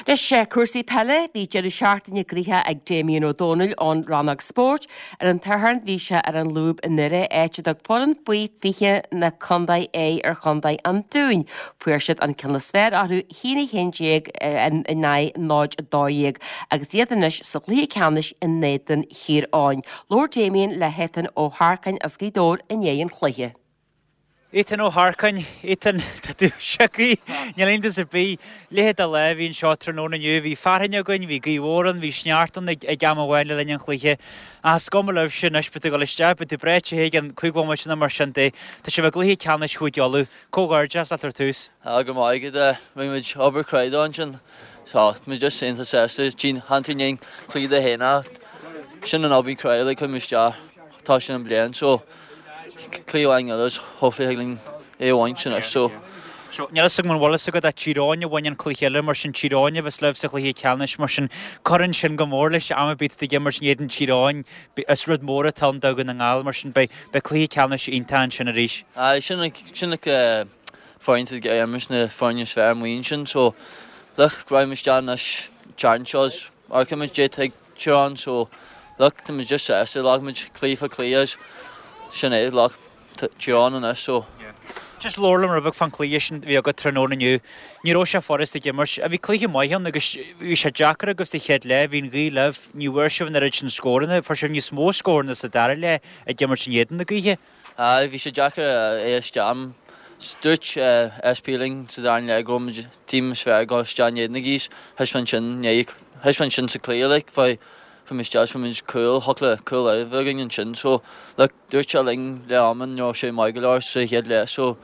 Anois cúrsaí peile, bhí deireadh seachtaine gnoitheach ag Damien Ó Dónaill ón rannóg spóirt. Ar an tSatharn bhí sé ar an lúb i nDoire, áit a dtug foireann faoi fiche na contae aghaidh ar chontae an Dúin. Fuair siad an ceann is fearr orthu, a haon a haon déag in aghaidh náid a dó dhéag, agus iad anois sa chluiche ceannais in éadan Thír Eoghain. Labhair Damien le hEthan Ó hEarcáin as Gaoth Dobhair i ndiaidh an chluiche. Ethan Ó hEarcáin, Ethan, tá tú sioctha, níl iontas ar bith. Leithéid de lá a bhí anseo tráthnóna inniu. Bhí fearthainn againn, bhí gaoth mhór ann, bhí sneachta ann ag am amháin le linn an chluiche. Ach is cuma libhse anois, beidh tú ag dul isteach, beidh tú breá te i gceann cúig bhomaite nó mar sin de. Tá sibh i gcluiche ceannais Chúige Uladh. Comhghairdeas leat ar tús. Go raibh maith agat. Rinne muid obair cruaidh ansin. Tá muid just iontach sásta. Tchíonn tú i ndiaidh cluiche de haon sin an obair cruaidh like chuir muid isteach tá sin an bliain so cluiche amháin eile is hopefully thig linn é a bhaint anois so. So níl fhios agam an bhfuil fhios agat ach Tír Eoghain a bhain an cluiche eile mar sin Tír Eoghain a bheas libh sa chluiche ceannais mar sin cuireann sin go mór leis am ar bith ag imirt in éadan Tír Eoghain is rud mór atá ann do Dhún na nGall mar sin beidh beidh cluiche ceannais iontach ansin arís. Aye sin sin like foireann ag imirt na foirne is fearr amuigh ansin so look raghaidh muid isteach anois an tseachtain seo is amharcfaidh muid goidé atá ag Tír Eoghain so look tá muid just sásta ghlac muid cluiche fá chluiche is sin é look Tír Eoghain anois so. Just labhair liom rud beag fán chluiche sin a bhí agat tráthnóna inniu. Ní raibh sé furast ag imirt. Bhí cluiche maith ann agus bhí sé deacair agaibh sa chéad leath, bhí an ghaoth libh, ní bhfuair sibh an oiread sin scóranna, fuair sibh níos mó scóranna sa dara leath ag imirt in éadan na gaoithe. Aye, bhí sé deacair é a isteach. Dúirt SP linn sa dara leath go raibh muid team is fearr ag dul isteach in éadan na gaoithe. Thaispeáin sin thaispeáin sin sa cluiche like fuair muid isteach fuair muid cúl thiocfadh le cúl eile a bheith againn ansin so look dúirt sé linn leath ama ní raibh sé maith go leor sa chéad leath so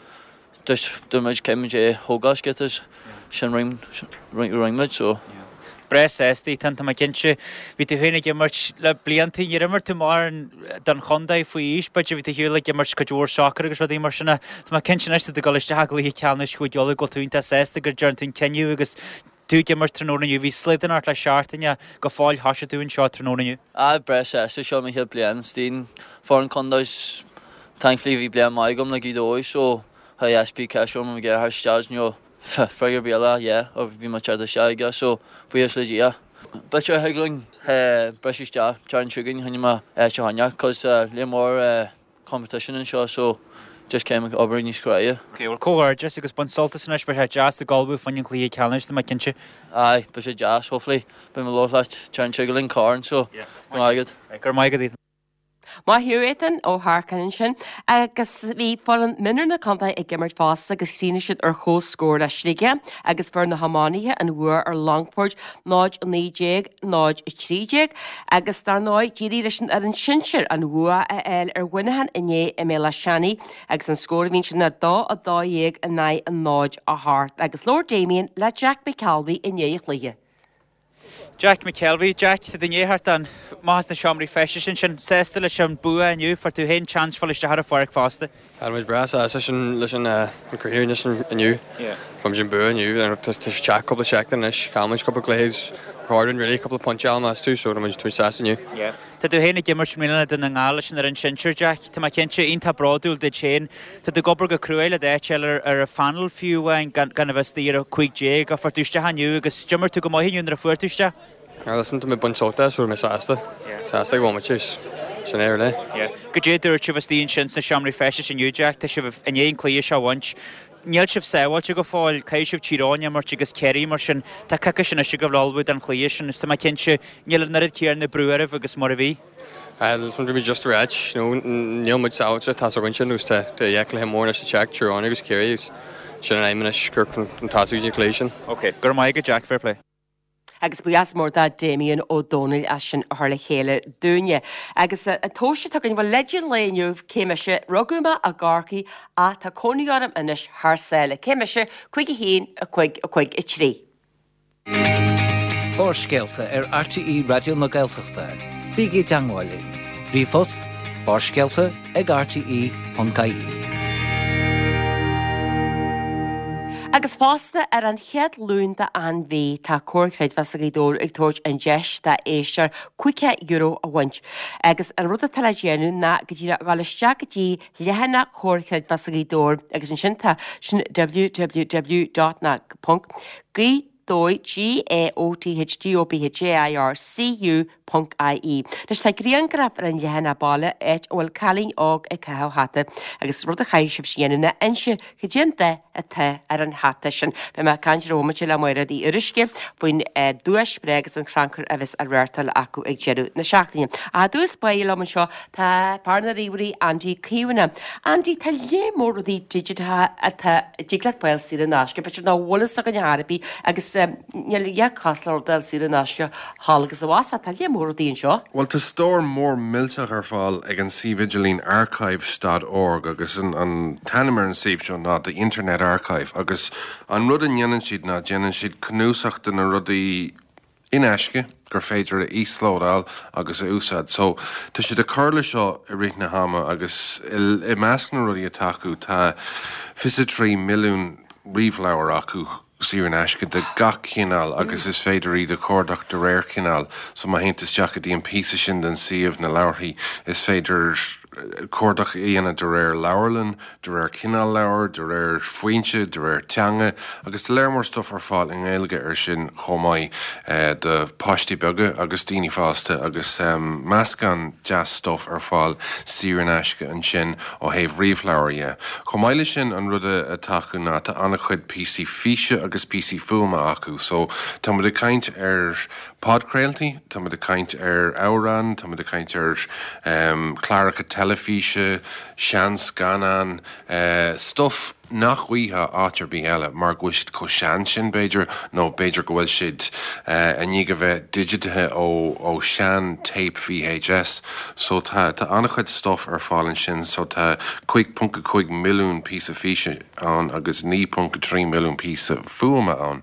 just dúirt muid caithfidh muid é a thógáil sciobtha sin rinne rinne muid so. Breá sásta Ethan, tá mé cinnte. Bhí tú féin ag imirt le blianta, níor imir tú mórán don chontae faoi aois, b'fhéidir, bhí tú ar shiúl ag imirt cuid mhór sacair agus rudaí mar sin ach tá mé cinnte anois tá tú ag dul isteach i gcluiche ceannais Chúige Uladh go bhfuil tú iontach sásta go dtearn tú an cinneadh agus tú ag imirt tráthnóna inniu. Bhí slaghdán ort le seachtain ach go fóill thoisigh tú anseo tráthnóna inniu. Ah, breá sásta, seo mo chéad bliain istigh foireann contae thankfully bhí bliain maith agam le Gaoth Dobhair so chuir SP ceist orm ag iarraidh isteach nó freagra ar bith eile yeah bhí mé teacht isteach aige so buíochas le Dia. B'fhéidir thig linn briseadh isteach tearn chugainn choinne mo áit a choinneáil cos léar mór competition anseo so just caithfidh mé obair níos cruaidhe. Ok, bhuel comhghairdeas agus bain sult as anois, beidh sé deas ag ullmhú fá choinne an chluiche ceannais tá mé cinnte. Aye, beidh sé deas, hopefully beidh mé ag labhairt leat tearn chugainn corn so go raibh maith agat. Go raibh maith agat Ethan. Maith thú Ethan Ó hEarcáin ansin agus bhí foireann mionúir na contae ag imirt fosta agus chríochnaigh siad ar chomhscór le Sligeach agus fuair na hiománaithe an bhua ar Longfort náid a naoi déag, náid a trí déag agus dar ndóigh d'éirigh leis an fhoireann sinsir an bhua a fháil ar Mhuineachán inné i mBéal Átha Seanaidh agus an scór a bhí ansin ná dó a dó dhéag in aghaidh a náid a hocht agus labhair Damien le Jack McKelvey i ndiaidh an chluiche. Jack McKelvey, Jack, tá tú i ndiaidh theacht amach as na seomraí feistis ansin, sásta leis an bua inniu, fuair tú féin seans fáil isteach ar an pháirc fosta. Tá muid breá sásta sin leis an chraobh anois inniu. Fuair muid an bua inniu, tá sé teacht cúpla seachtain anois, chaill muid cúpla cluiche, Gordon really cúpla pointe a meas tú, so tá muid sásta inniu. Tá tú féin ag imirt i mbliana do na nGall leis an fhoireann sinsir, Jack. Tá mé cinnte, iontach bródúil duit féin. Tá tú ag obair go cruaidh le d'áit a fháil ar an phainéal fiú amháin gan a bheith istigh ar a cúig déag ach fuair tú isteach inniu agus d'imir tú go maith inniu nuair a fuair tú isteach. Ah listen, tá mé ag baint sult as, so tá mé sásta. Sásta ag bhfuil muid sin é really. Goidé a dúirt sibh istigh ansin sna seomraí feistis inniu, Jack? Tá sibh i ndiaidh an cluiche seo a bhaint. Níl sibh sábháilte go fóill, caithfidh sibh Tír Eoghain a imirt agus Ciarraí mar sin tá coicís anois agaibh le ullmhú don chluiche sin is tá mé cinnte níl an oiread céanna brú oraibh agus mar a bhí. Bhí muid just ráit, you know, níl muid sábháilte, tá's againn sin agus tá tá dhá chluiche mór anois le teacht, Tír Eoghain agus Ciarraí agus sin an aidhm anois gur chun tosú go dtí an cluiche sin. Ok, go raibh maith agat Jack, fair play. Agus buíochas mór do Damien Ó Dónaill as sin a chur le chéile dúinne. Agus an tomhas atá againn, bhuel, leid an lae inniu, cé mise, rugadh mé i gCorcaigh ach tá cónaí orm anois thar sáile. Cé mise, cúig a haon, a cúig, a cúig, a trí. Barrscéalta ar RTÉ Raidió na Gaeltachta. Bígí i dteangmháil linn. Ríomhphost, barrscéalta ag rte ponc ie. Agus fosta ar an chéad Luan d'achan mhí tá Comhar Creidmheasa Ghaoth Dobhair ag tabhairt an deis dá éisteoir caoga euro a bhaint. Agus an rud atá le déanamh ná go díreach dhul isteach go dtí leathanach Chomhar Creidmheasa Ghaoth Dobhair agus ansin tá sin www dot ná ponc gaoth dobhair G A O T H D O B H A I R C U ponc I E. Anois tá grianghraf ar an leathanach baile áit a bhfuil cailín óg ag caitheamh hata agus rud a chaithfidh sibh a dhéanamh ná inse cad é an dath atá ar an hata sin. Beidh mé ag caint ar bhomaite le Máiréad Uí Fhuaruisce faoin duais breá agus an crannchur a bheas á reáchtáil acu ag deireadh na seachtaine. Ach i dtús báire liom anseo tá fear na ríomhairí Andy Caomhánach. Andy, tá léar mór rudaí digiteacha atá a dtig leat fáil saor in aisce, b'fhéidir nach bhfuil fhios againn ar bith agus níl a dhath cosúil le rud a fháil saor in aisce thall agus abhus ach tá léar mór rudaí anseo. Bhuel, tá stór mór millteach ar fáil ag an suíomh idirlín archives dot org agus an an t-ainm ar an suíomh seo ná The Internet Archive agus an rud a ndéanann siad ná déanann siad cnuasach de na rudaí in aisce gur féidir a íoslódáil agus a úsáid. So tá siad ag cur le seo i rith na hama agus i measc na rudaí atá acu tá fiche trí milliún ríomhleabhar acu saor in aisce de gach cineál agus is féidir iad a chuardach de réir cineáil. So má théann tú isteach go dtí an píosa sin den suíomh, na leabharthaí, is féidir cuardach a dhéanamh de réir leabharlann, de réir cineál leabhair, de réir foinse, de réir teanga agus tá léar mór stuif ar fáil i nGaeilge ar sin chomh maith do pháistí beaga agus daoine fásta agus meascán deas stuif ar fáil saor in aisce ansin ó thaobh ríomhleabhair dhe. Chomh maith leis sin an rud atá acu ná tá an-chuid píosaí físe agus píosaí fuaime acu so tá muid ag caint ar podchraoltaí, tá muid ag caint ar amhráin, tá muid ag caint ar chláracha teilifíse, seanscannáin, stuif nach bhfaighfeá áit ar bith eile mar go bhfuil siad chomh sean sin, b'fhéidir, nó b'fhéidir go bhfuil siad i ndiaidh a bheith digitithe ó ó sean tape VHS. So tá tá an-chuid stuif ar fáil ansin, so tá cúig ponc a cúig milliún píosa físe ann agus naoi ponc a trí milliún píosa fuaime ann.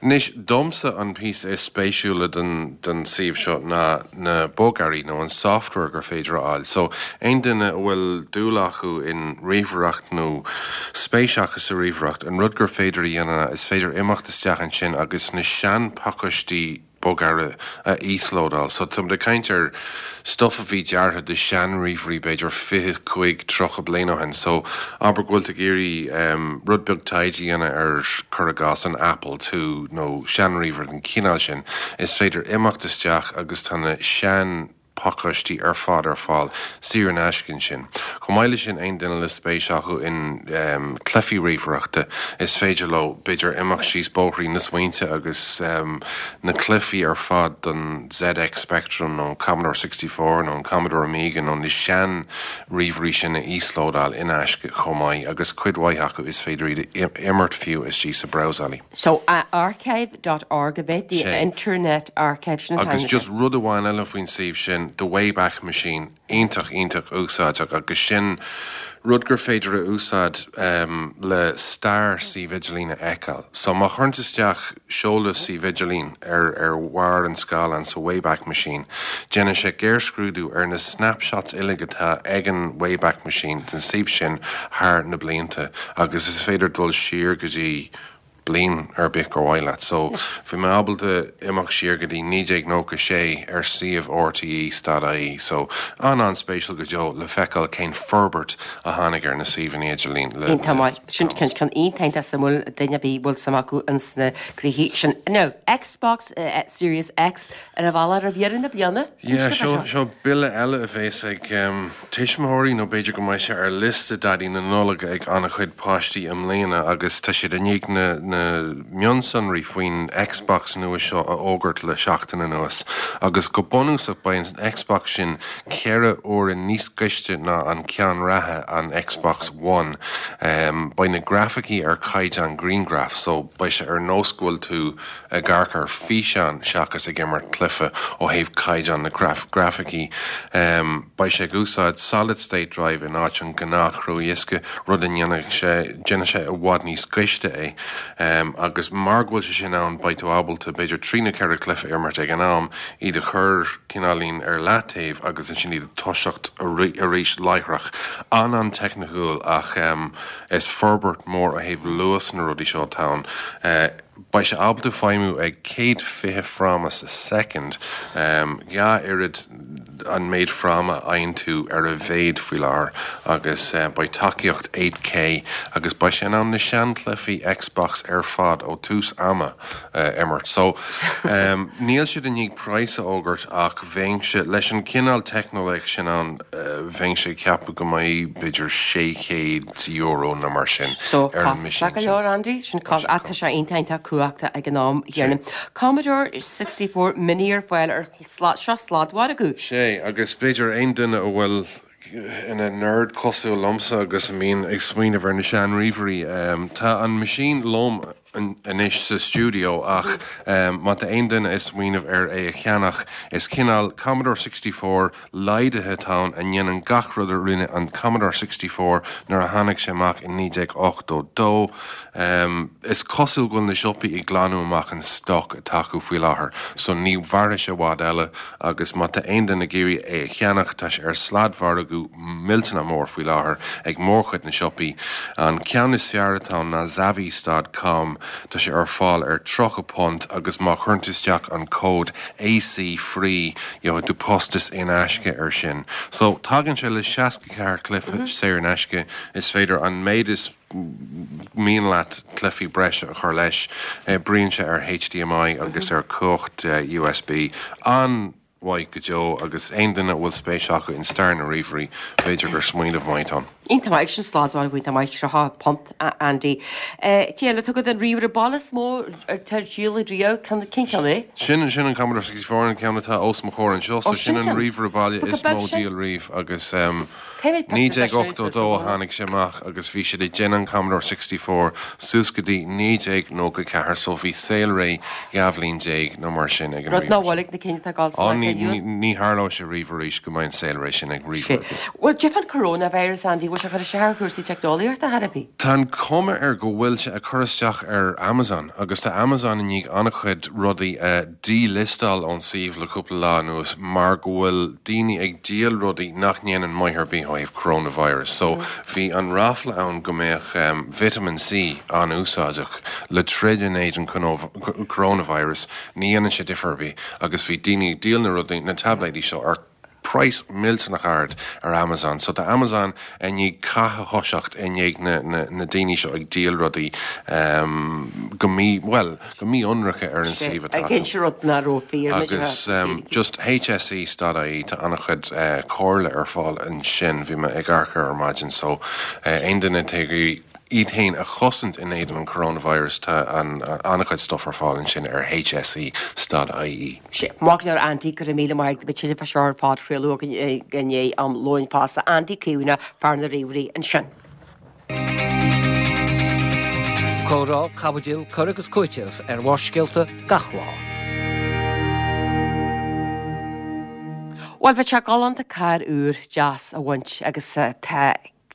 Anois, domsa an píosa is spéisiúla den den suíomh seo ná na bogearraí nó an software gur féidir a fháil. So, aon duine a bhfuil dúil acu in ríomhaireacht nó spéis acu sa ríomhaireacht, an rud gur féidir a dhéanamh ná is féidir imeacht isteach ansin agus na seanphacáistí bogearra a íoslódáil. So táimid ag caint ar stuff a bhí deartha do sean-ríomhairí b'fhéidir fiche cúig, tríocha bliain ó shin. So abair go bhfuil tú ag iarraidh rud beag taighde a dhéanamh ar, cuir i gcás, an Apple Two nó sean-ríomhaire den chineál sin, is féidir imeacht isteach agus tá na sean. pacáistí ar fad ar fáil saor in aisce ansin. Chomh maith leis sin aon duine le spéis acu in um, cluichí ríomhaireachta is féidir leo b'fhéidir imeacht síos bóithrín na smaointe agus um, na cluichí ar fad don ZX Spectrum nó Commodore sixty four nó an Commodore Amiga nó na sean ríomhairí sin a íoslódáil in aisce chomh maith agus cuid mhaith acu is féidir iad imirt fiú istigh sa brabhsálaí. So uh, archive dot org a bit, the Internet Archive sin Agus just rud amháin eile faoin suíomh sin, The Wayback Machine, iontach iontach úsáideach agus sin rud gur féidir a úsáid um, le stair suíomh idirlín a fheiceáil. So má chuireann tú isteach seoladh suíomh idirlín ar ar bharr an scáileáin sa Wayback Machine, déanann sé géarscrúdú ar na snapshots uilig atá ag an Wayback Machine den suíomh sin thar na blianta agus is féidir dul siar go dtí bliain ar bith gur mhaith leat. So bhí mé ábalta imeacht siar go dtí naoi déag nócha sé ar suíomh RTÉ dot IE. So an an-spéisiúil go deo le feiceáil cén forbairt a tháinig ar na suíomhanna idirlín le Iontach maith. Sin ceann ceann iontach suimiúil duine ar bith a bhfuil suim acu ins na cluichí sin. Now, Xbox uh, Series X ar a bhealach ar dheireadh na bliana? Yeah, seo seo bille eile a bheas ag um, tuismitheoirí nó b'fhéidir go mbeidh sé ar liosta Daidí na Nollag ag an-chuid páistí i mbliana agus tá siad i ndiaidh na na mionsonraí faoin Xbox nua seo a fhógairt le seachtain anuas agus go bunúsach beidh an Xbox sin ceithre huaire níos gaiste ná an ceann reatha an Xbox One. Um, beidh na grafaicí ar chaighdeán grianghraf, so beidh sé ar nós go bhfuil tú ag amharc ar físeán seachas ag imirt cluiche ó thaobh caighdeán na graf grafaicí. Um, beidh sé ag úsáid solid state drive in áit an gnáth-chrua-dhiosca, rud a ndéanfaidh sé déanfaidh sé i bhfad níos gaiste é. Um, agus mar go bhfuil sé sin ann beidh tú ábalta b'fhéidir trí nó ceithre cluiche a imirt ag an am, iad a chur cineáilín ar leataobh agus ansin iad a toiseacht arís láithreach. An an-teicniúil ach um, is forbairt mór ó thaobh luas na rudaí seo atá ann. Uh, beidh sé ábalta feidhmiú ag céad fiche fráma sa soicind, um, dhá oiread an méid fráma a fhaigheann tú ar a mhéad faoi láthair agus uh, beidh tacaíocht eight K agus beidh sé in ann na seanchluichí Xbox ar fad ó tús ama uh, imirt. So um, níl siad i ndiaidh praghas a fhógairt ach bheinnse leis an cineál teicneolaíocht sin ann uh, bheinnse ag ceapadh go mbeidh b'fhéidir sé chéad euro nó mar sin So ar an costasach machine go sin. leor Andy, sin cos ach tá sé iontach cumhachta ag an am chéanna. Commodore sixty four mini ar fáil ar sla- seo sladmhargadh. Sé, agus b'fhéidir aon duine a bhfuil ina nerd cosúil liomsa agus a mbíonn ag smaoineamh ar na seanríomhairí. Um, tá an machine liom an- anois sa studio ach um, má tá aon duine ag smaoineamh ar é a cheannach is cineál Commodore sixty four laghdaithe atá ann a ndéanann gach rud a rinne an Commodore sixty four nuair a tháinig sé amach in naoi déag ochtó dó. Um, is cosúil go bhfuil na siopaí ag glanadh amach an stoc atá acu faoi láthair, so ní mhairfidh sé i bhfad eile agus má tá aon duine ag iarraidh é a cheannach tá sé ar sladmhargadh millteanach mór faoi láthair ag mórchuid na siopaí. An ceann is fearr atá ann ná Zavvies dot com, tá sé ar fáil ar tríocha punt agus má chuireann tú isteach an cód A C free gheobhaidh tú postas in aisce ar sin. So tagann sé le seasca ceathair cluiche Mhm. saor in aisce is féidir an méid is mian leat cluichí breise a chur leis, oibríonn sé ar H D M I agus ar chumhacht, eh, U S B. An-mhaith go deo agus aon duine a bhfuil spéis acu in stair na ríomhairí, b'fhéidir gur smaoineamh maith ann. Iontach maith sin sladmhargadh iontach maith tríocha punt, a- Andy. Eh, Cad eile tugadh an ríomhaire baile is mó ar díol riamh, cén cén ceann é? Sin sin an Commodore sixty four an ceann atá os mo chomhair anseo, so Ó, sin sin an ceann. ríomhaire baile Ba go is beag mó sin. díol riamh agus, um, Cé mhéad naoi pictiúr déag de sin ochtó sa dó a bhaile? tháinig sé amach agus bhí siad ag déanamh an Commodore sixty four suas go dtí naoi déag nócha ceathair, so bhí saolré dhá bhliain déag nó mar sin ag an Rud ná ríomhaire sin. bhfuil ag na cinn atá ag dul Á, sa ní, inniu. ní, ní tharlóidh sé riamh arís go mbeidh an saolré sin ag Sé. ríomhaire. Bhuel, cad fán coronavirus, Andy, bhfuil sé ag cur isteach ar chúrsaí teicneolaíochta ar bith? Tá an cuma air go bhfuil sé ag cur isteach ar Amazon, agus tá Amazon i ndiaidh an-chuid rudaí a díliostáil ón suíomh le cúpla lá anuas mar go bhfuil daoine ag díol rudaí nach ndéanann maith ar bith ó thaobh coronavirus. So bhí an ráfla ann go mbeadh, um, vitamin C an-úsáideach le troid in éadan conov-, coronavirus, ní dhéanann sé difear ar bith, agus bhí daoine ag díol na rudaí, na tabléidí seo ar praghas millteanach ard ar Amazon. So tá Amazon i ndiaidh cath a thoiseacht i ndiaidh na, na, na daoine seo ag díol rudaí um, go mí well go mí-ionraice ar an suíomh atá acu. Ag rud nach raibh fíor Agus um, just HSE dot IE tá an-chuid uh, comhairle ar fáil ansin bhí mé ag amharc ar maidin so uh, aon duine atá iad féin a chosaint in éadan an coronavirus tá an an-chuid stuff ar fáil ansin ar HSE dot IE. Sé Maith go leor Andy go raibh míle maith agat tuilleadh fá seo ar phodchraoladh againn i ndiaidh am lóin fosta Andy Caomhánach fear na ríomhairí ansin. Comhrá, caibidil, cur agus cúiteamh ar Bharrscéalta gach lá. Bhuel, bheadh sé galánta carr úr deas a bhaint agus tá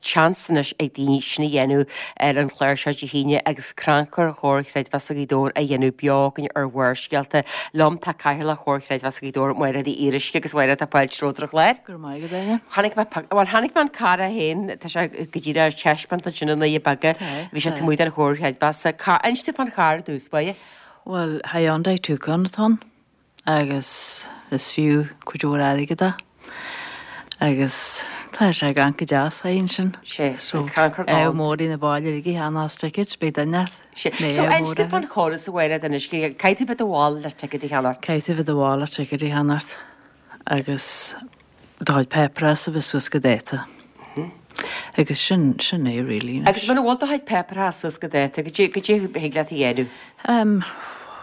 seans anois ag daoine sin a dhéanamh ar an chlár seo Dé hAoine agus crannchur Chomhar Chreidmheasa Ghaoth Dobhair a dhéanamh beo againn ar Bharrscéalta. Liom tá Cathaoirleach Chomhar Chreidmheasa Ghaoth Dobhair, Máire Uí Fhíoruisce agus Máire tá fáilte romhat ar an chlár. Go raibh maith agat, Áine. Chonaic mé, bhuel chonaic mé an carr é féin, tá sé go díreach ar taispeáint ansin i nDoire Beaga, bhí sé taobh amuigh den Chomhar Chreidmheasa. Inis domh fán charr i dtús báire. Bhuel, Hyundai Tucson atá ann agus is fiú cuid mhór airgid é. Agus tá sé gan go deas é ansin. Sé, So, crannchur ádh gann. mór ina báile ag cheannach ticket, beidh duine ort. Sé, Mé so ádh inis mór domh fán air. chóras a Mháire anois, caithfidh tú bheith i do bhall le ticket a cheannach. Caithfidh tú bheith i do bhall le ticket a cheannacht agus do chuid páipéarachas a bheith suas go dáta. Agus sin, sin é really anois. Agus muna bhfuil do chuid páipéarachas suas go dáta, goidé, goidé a thig leat a dhéanamh? Um,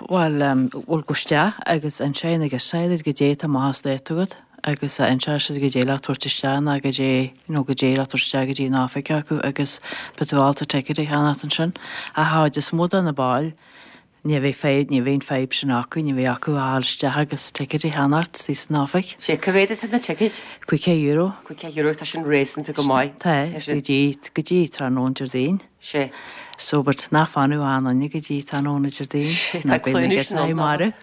bhuel, um, bhuel gabh isteach agus ansin agus said goidé tá amach as dáta agat agus inseoidh siad goidé le tabhairt isteach ná goidé, you know, goidé le tabhairt isteach go dtí an oifig acu agus beidh tú ábalta ticket a cheannacht ansin. Ach an chuid is mó de na baill, ní bheidh fadhb, ní bheidh an fadhb sin acu, ní bheidh acu a ghabháil isteach agus ticket a cheannacht istigh san oifig. Sé, cá mhéad atá na tickets? Caoga euro. Caoga euro, tá sin réasúnta go maith. Tá, Tá sin. go dtí, go dtí tráthnóna Déardaoin. Sé. So, but ná fanadh aon duine go dtí tráthnóna Déardaoin. Sé, Ná tá beidh na cluinis giotáí ann, marbh.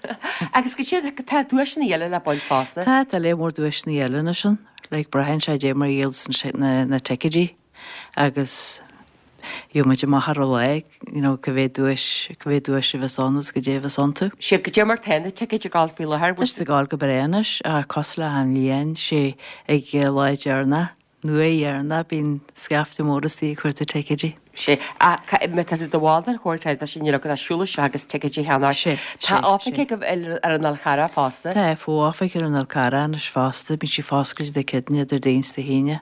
Agus go dtí, tá duaiseanna eile le baint fosta. Tá, tá lear mór duaiseanna eile ansin. Like, braitheann sé dé mar dhíol san na, na ticketí. Agus gheobhaidh muid amach ar an lá, you know, cá mhéad duais, cá mhéad duais a bheas ann agus goidé a bheas iontu. Sé, goidé mar tá na tickets ag gabháil faoi láthair, Tá siad ag gabháil go breá anois, ach cosúil le achan bhliain, sé ag lá deireanach, nó uair dheireanach, bíonn scaifte mór istigh ag cuartú ticketí. Sé, ach ca-, má tá tú i do bhall den Chomhar Creidmheasa, níl agat ach siúl isteach agus ticket a cheannach. Sé, Tá sé, oifig sé. ag ar, ar an Fhál Carrach fosta. Tá fo-oifig ar an Fhál Carrach anois fosta, bíonn sí foscailte Dé Céadaoine, Déardaoin is Dé hAoine.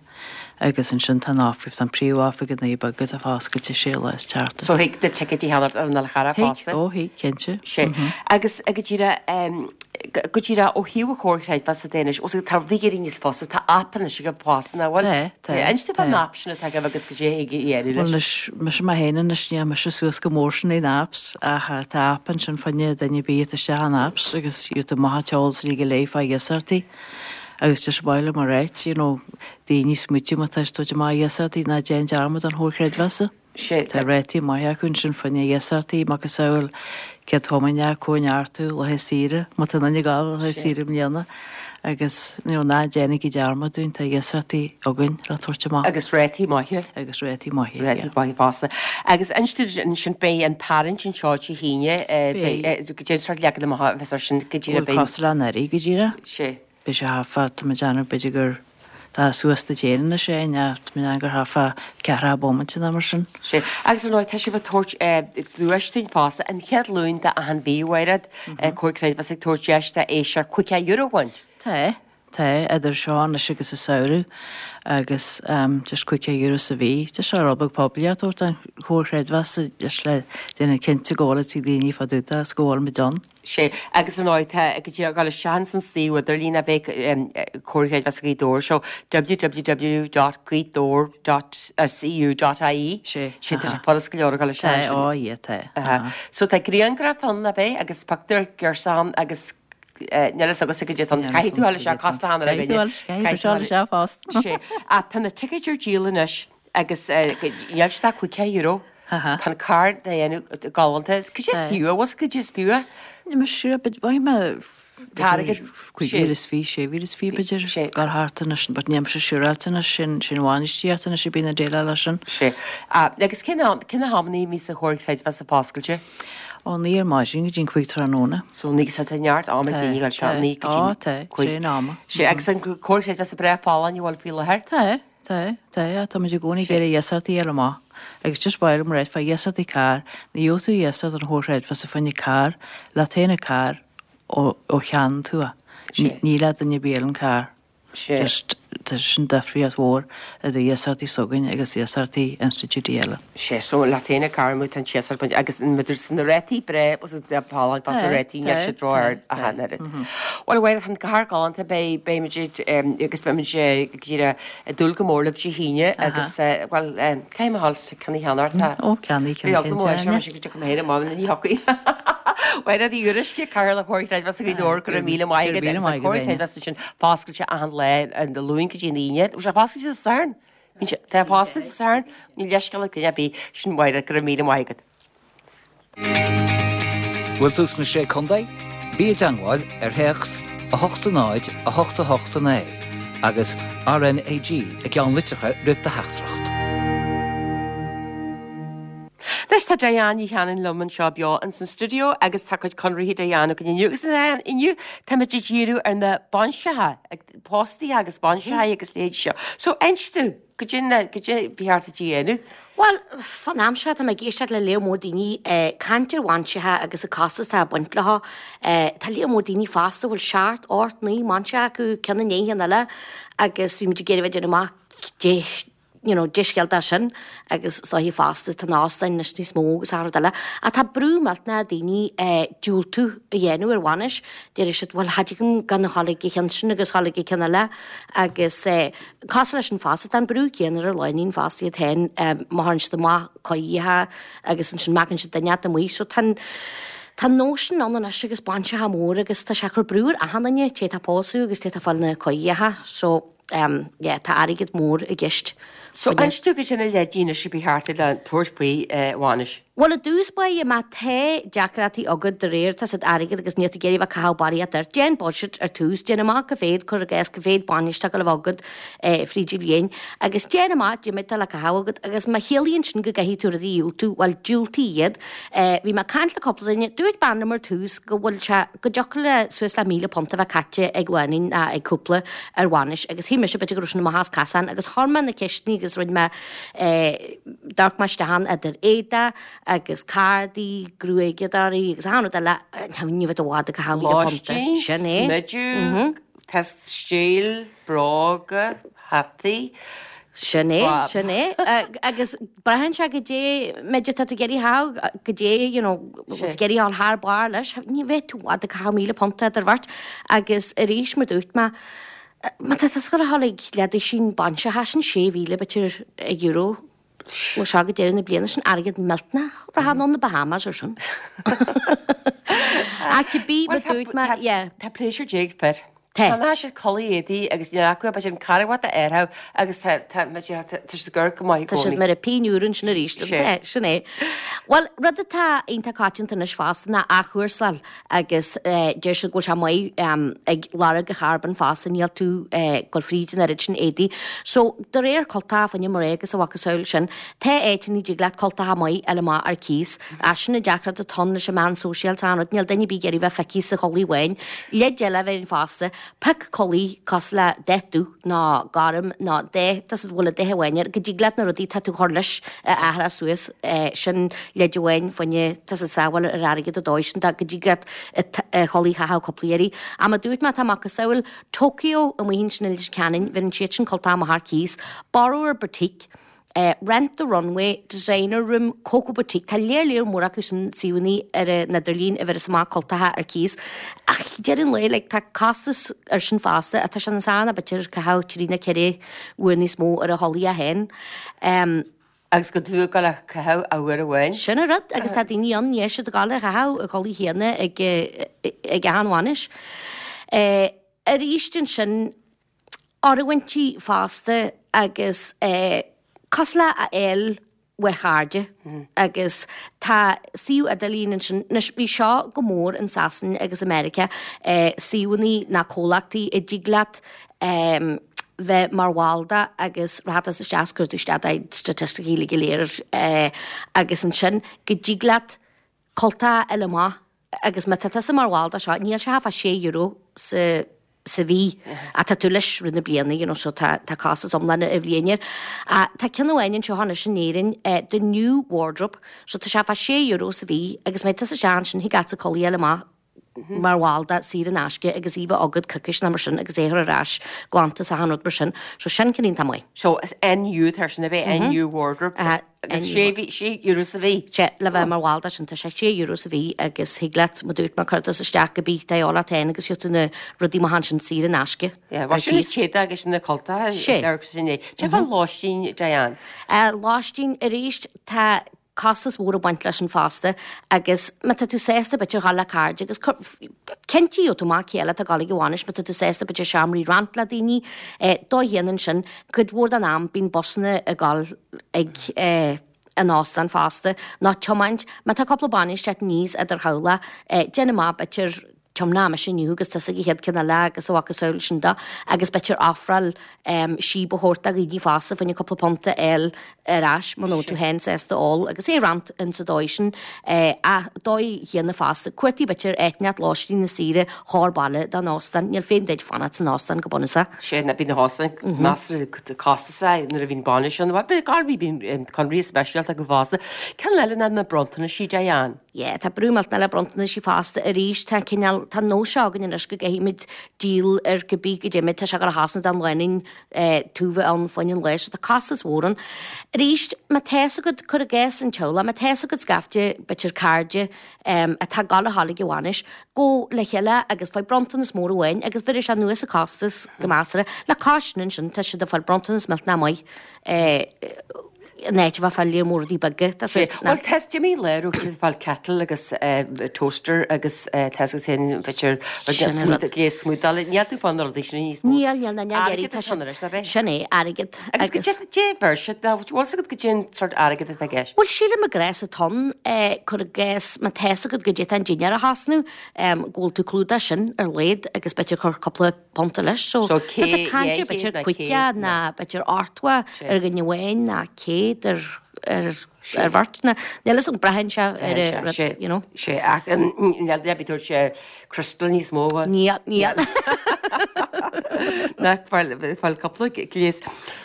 Agus ansin tá an oifig, tá an príomhoifig i nDoire Beaga atá foscailte sé lá is tseachtain. So thig na tickets a cheannacht ar an Fhál Carrach Thig, fosta? ó thig, cinnte. Sé. Agus go díreach, go, go díreach ó thaobh an Chomhar Creidmheasa de anois, os tá rudaí ag éirí níos fusa, tá aip anois agaibh fosta, nach bhfuil? Tá, tá, Inis domh fán tá. aip sin atá agaibh agus goidé a thig a dhéanamh Bhuel leis. anois, mise mé féin anois, níl mise suas go mór sin in apps, ach tá aip ansin fá choinne duine ar bith atá isteach in apps agus gheobhaidh tú amach an t-eolas uilig go léir fá iasachtaí. Agus just baile mar áit, you know, daoine smaoitiú má tá siad tabhairt amach iasachtaí ná déan dearmad an Chomhar Creidmheasa. Sé, Tá rátaí maithe acu ansin fá choinne iasachtaí, macasamhail céad thiomáine, cóineartú, laetha saoire, má tá duine ag gabháil laetha Sé. saoire i mbliana. Agus, you know, ná déanaigí dearmad dúinn, tá iasachtaí againn le tabhairt amach. Agus rátaí maithe. Agus rátaí maithe, Rátaí yeah. maithe fosta. Agus inis dúinn ansin beidh an tarraingt anseo Dé hAoine, eh, Beidh. beidh, eh, goidé an sórt leagan amach a bheas air sin go díreach Bhuel, beidh. cosúil le anuraidh go díreach. Sé. Beidh sé thart fá, tá mé ag déanamh b'fhéidir gur tá suas do déanamh na sé, ná tá mé ag déanamh gur thart fá ceathracha bomaite nó mar sin. Sé. Agus ar ndóigh, tá sibh ag tabhairt, eh, duais dúinn fosta, an chéad Luan d'achan mhí, a Mhairéad, eh, Comhar Creidmheasa ag tabhairt deis d'éisteoir caoga euro a bhaint. Tá, tá, idir seo anois agus an samhradh agus, um, just caoga euro sa mhí. Just seo rud beag poiblí a tabhairt don Chomhar Creidmheasa just le déanamh cinnte go bhfuil ag daoine fá dtaobh de agus go bhfuil muid ann. Sé, agus ar ndóigh, tá go dtí ag dul isteach san suíomh idirlín a bheidh, um, Comhar Creidmheasa Ghaoth Dobhair, seo www dot gaothdobair dot cu dot ie. Sé, Sé, tá sé aha. furast go leor a dhul isteach Tá, ansin. ó, ie, tá, Aha. aha. So tá grianghraf ann a bheidh agus pictiúr girseach ann agus, eh, níl fhios agat goidé atá ann. Níl Caithfidh tú fhios dul isteach, agat cosúil le hAnna Caithfidh tú Rinne. dul isteach, Caithfidh caithfidh tú tú dul isteach fosta. Sé. Ach tá na tickets ar díol anois agus, eh, níl siad ach caoga euro. Aha. Tá an carr de dhéanamh galánta. Goidé is Tá. fiú, bhfuil goidé is fiú é? Níl mé sure, but bhain mé Tá airgead cúig sé. mhíle is fiche, sé mhíle is fiche b'fhéidir, Sé. gal thart anois, but níl mise siúráilte anois, sin, sin bhainistíocht anois a bhíonn ag déileáil leis sin. Sé. Ah, agus cén am, cén na hamanna a bhíonn an Comhar Creidmheasa foscailte? Ó naoi ar maidin go dtí an cúig tráthnóna. So naoi so tá neart ama ag daoine ag dul isteach, naoi go dtí Tá, tá, cúig. tréan ama. Sé agus an comhar creidmheasa breá folláin a bhfuil faoi láthair? Tá, tá, tá, tá muid i gcónaí ag iarraidh iasacht a fháil amach agus just ba mhaith liom a ráit fá iasachtaí carr, ní gheobhaidh tú iasacht ón chomhar creidmheasa fá choinne carr, leat féin an carr ó ó cheannaíonn tú é. Sé. Ní le duine ar bith eile an carr. Sé. Just tá sin difríocht mhór idir iasachtaí s'againn agus iasachtaí institiúidí eile. Sé so leat féin an carr amuigh tá an t-iasacht bainte agus an idir na rátaí breá agus an folláin tá na rátaí níl siad ró-ard ach an oiread. Bhuel a Mháire tá an carr galánta beidh beidh muid agus beidh muid ag iarraidh ag dúil go mór libh Dé hAoine agus bhuel caithfidh mé a dhul ceann a cheannach tá Ó ceannaigh Bhí ceann eagla mór cinnte air seo go dtiocfaidh mé féin amach ina ní thiocfaidh. Mháire Ní Fhuaruisce, Cathaoirleach Chomhar Creidmheasa Ghaoth Dobhair, go raibh míle maith agat agus an Comhar Creidmheasa sin foscailte achan lá an Luan go dtí an Aoine. Bhfuil sé foscailte Dé Sathairn? Bíonn sé tá foscailte Dé Sathairn, níl leithscéal ag duine ar bith, sin Mháire, go raibh míle maith agat. Bhfuil tú sna Sé Contae? Bí i dteagmháil ar théacs a hocht a náid a hocht a hocht a naoi agus RnaG i gceannlitreacha roimh do theachtaireacht. Anois tá Diane Ní Chanainn liom anseo beo ins an stiúideo agus tá cuid conarthaí Diane againn inniu agus Diane inniu táimid ag díriú ar na bainseacha, póstaí agus bainseacha agus leithéidí seo. So inis domh, goidé na, goidé ba cheart duit a dhéanamh. Bhuel, fán am seo tá mé ag éisteacht le léar mór daoine ag caint ar bhainseacha agus an costas atá ag baint leo. Tá léar mór daoine fosta a bhfuil seacht, ocht, naoi mbainse acu, ceann i ndiaidh an cheann eile agus bhí muid ag iarraidh bheith ag déanamh amach dé you know, dé scéal dá sin agus is dóichí fosta tá na hóstáin anois níos mó agus achan rud eile. Ach tá brú millteanach ar daoine eh, diúltú a dhéanamh ar bhainis. Deir siad, bhuel, cha dtig liom gan a dhul ag an cheann sin agus dhul ag an ceann eile agus eh, cosúil leis sin fosta, tá an brú céanna ar an lánúin fosta iad féin eh, má thagann siad amach coimhthíocha agus ansin meacann siad duine amuigh. So tá an Tá an nós sin ann anois agus bainseacha mór agus tá sé ag cur brú ar achan duine, té atá ag pósadh agus té atá ag fáil na coimhthíocha. So um, yeah, tá airgead mór i gceist. So inis domh goidé na leideanna anois a ba cheart le tabhairt faoi eh, bhainis. Bhuel, i dtús báire, má tá deacrachtaí agat de réir tá siad airgead agus níl tú ag iarraidh bheith ag caitheamh barraíocht air. Déan budget ar tús, déan amach cá mhéad, cuir i gcás cá mhéad bainis atá ag gabháil a bheith agat eh, fríd an bhliain agus déan amach goidé atá le caitheamh agat agus má chiallaíonn sin go gcaithfidh tú rudaí a dhiúltú, bhuel diúltaigh iad. Eh, bhí mé ag caint le cúpla duine, dúirt bean liom ar tús go bhfuil sé go dtiocfadh le suas le míle punt a bheith caite ag lánúin ná ag cúpla ar bhainis agus shíl mise b'fhéidir go raibh sin amach as casán agus chuir mé na ceisteanna agus rinne mé eh, d'amharc mé isteach ann idir éadaí agus cárdaí, gruaigeadóirí agus achan rud eile, ní bheadh i bhfad ag caitheamh míle punt. Lóistín, Sin é. smideadh, stíl, bróga, hataí. Sin é, sin é. Agus braitheann sé goidé méid atá tú ag iarraidh a chaitheamh, goidé, you know, bhfuil tú ag iarraidh a dhul thar barr leis, ní bheidh tú i bhfad ag caitheamh míle punt idir bheirt. Agus arís, mar dúirt mé, má tá tú ag gabháil a dhul ag leathduisín bainseacha, sin sé mhíle b'fhéidir euro. Ó seo go deireadh na bliana sin airgead millteanach, rachfá anonn na Bahamas ar sin. Ach cibé mar dúirt mé, yeah. Tá pléisiúr déag fir. Tá. Tá siad culaith éadaí agus níl acu b'fhéidir an carbhat a fhearfadh agus tá tá tá tá siad ag amharc go maith i Tá siad gcónaí. mar a pingin úr ansin arís. Sé. Sin é. Bhuel, rud atá iontach coitianta anois fosta ná athchúrsáil agus eh, deir siad go bhfuil sé maith em, ag lorg an charbóin fosta, níl tú eh, ag dul fríd an oiread sin éadaí. So, de réir cultacha fá choinne mná agus a mhacasamhail sin, tá áiteanna a dtig leat cultacha maith a fháil amach ar cíos. Ach sin an deacracht atá ann leis an meán sóisialta an rud, níl duine ar bith ag iarraidh bheith feicthe sa chulaith bháin. Leid eile a bheith ann fosta, pioc culaith cosúil le dath dubh nó gorm nó dath, tá siad bhfuil a dath amháin air, go dtig leat na rudaí tá tú chur leis a athrá suas, eh, sin leid amháin fá choinne tá siad sábháil ar airgead a dóigh sin go dtig leat a chulaith a chaitheamh cúpla iarraidh. Ach mar dúirt mé tá macasamhail Tokyo amuigh ansin i Leitir Ceanainn, bheireann siad sin cultacha amach ar cíos, Borrower Boutique, eh, Rent the Runway, Designer Room, Coco Boutique, tá léar léar mór acu sin suíomhanna ar an idirlíon a bheireas amach cultacha ar cíos. Ach deireadh an lae, like, tá costas ar sin fosta, atá sé níos fearr ná b'fhéidir caitheamh trí nó ceithre uair níos mó ar a chulaith féin. Um, Agus go dtú go le caitheamh a uair amháin. Sin an rud, agus tá daoine ann níl siad ag gabháil a chaitheamh a chulaith chéanna ag ag achan bhainis. Eh, arís ansin ormhaintí fosta agus eh, cosúil le a fháil uaidh chairde agus tá suíomh idirlín ansin, anois bhí seo go mór in Sasain agus America, eh, suíomhanna ná comhlachtaí a dtig leat em, bheith mar bhall de agus rachfá isteach is cuir tú isteach do statisticí uilig go léir eh, agus ansin go dtig leat Cultacha a fháil amach agus má tá tusa mar bhall de seo, níl sé ach fá sé euro sa sa mhí ach tá tú leis rith na bliana, you know, so tá tá costas iomlán a bhliain air. Ah, tá ceann amháin anseo anois in Éirinn, eh, The New Wardrobe, so tá sé fá sé euro sa mhí agus má tá tusa isteach ansin thig leatsa culaith a fháil amach mar bhall de saor in aisce agus í bheith agat coicís nó mar sin agus é a chur ar ais glanta is achan rud mar sin. So sin ceann iontach maith. So is NU atá sin a bheith NU Wardrobe agus sé mhí sé euro sa mhí. Sé le bheith mar bhall de sin tá sé sé euro sa mhí agus thig leat mar dúirt mé cuir tusa isteach cibé atá de dhíobháil ort féin agus gheobhaidh tú na rudaí maithe ansin saor in aisce. Yeah, bhuel sin na téada agus sin na cultacha Sé. agus sin é. Cé fá lóistín Diane? Lóistín arís tá costas mhór ag baint leis sin fosta agus má tá tú sásta b'fhéidir dhul le cairde agus cinntigh tú amach cé eile atá ag dul ag an bhainis má tá tú sásta b'fhéidir seomraí a roinnt le daoine dóigh a dhéanann sin cuid mhór den am bíonn busanna ag dul ag an óstán fosta nó tiomáint má tá cúpla bainis ag teacht aníos idir theaghlach déan amach b'fhéidir tiomnóidh mise inniu agus tusa ag an chéad ceann eile agus a mhacasamhail sin de agus b'fhéidir ofráil síob a thabhairt do dhaoine fosta fá choinne cúpla punt a fháil ar ais muna bhfuil tú féin sásta ól agus é a roinnt insa dóigh sin ach dóigh chéanna fosta cuartaigh b'fhéidir áit inteacht lóistín nó saoire chóir baile don óstán níl feidhm duit fanacht san óstán go bunúsach. Sé na bíonn na hóstáin measartha costasach nuair a bhíonn bainis ann. Bhuel gar bhí bíonn conraí speisialta acu fosta. Ceann eile ná na bronntanaisí Diane. Yeah, tá brú millteanach le bronntanaisí fosta arís, tá cineál, tá nós seo againn anois go gcaithfimid díol ar cibé go dtéimid, tá sé ag dul a thosnú don lánúin tú bheith ann fá choinne an lae so tá costas mhór ann. Arís, má tá's agat, cuir i gcás an teaghlach, má tá's agat scaifte, b'fhéidir cairde atá ag dul a ghabháil ag an bhainis, gabh le chéile agus faigh bronntanas mór amháin agus bhéarfaidh sé anuas an costas go measartha. Le cois sin ansin, tá siad ag fáil bronntanas millteanach maith. In áit a bheith ag fáil lear mór rudaí beaga, tá siad. Bhuel, tá Jimmy léiriú ag fáil kettle agus toaster agus tá siad féin b'fhéidir gléas smúdála. Níl tú fá na rudaí sin níos mó. Níl, níl, níl, airgead atá ann anois, ab é? Sin é, airgead. Agus go dté dé bheir siad, bhfuil fhios agat goidé an sórt airgead atá i gceist? Bhuel, sílim i gcás atá ann, cuir i gcás, má tá's agat goidé tá an dinnéar a thosnú, go bhfuil tú clúdaithe sin ar laghad agus b'fhéidir cur cúpla punta leis. So, So tá tú ag caint ar b'fhéidir caoga ná b'fhéidir ochtó ar dhuine amháin ná céad ar ar ar bheirt ná níl fhios agam braitheann sé ar an rud, you know. Sé ach níl duine ar bith tabhairt sé crystal níos mó. Níl, níl. Nach fáil fáil cúpla gléas.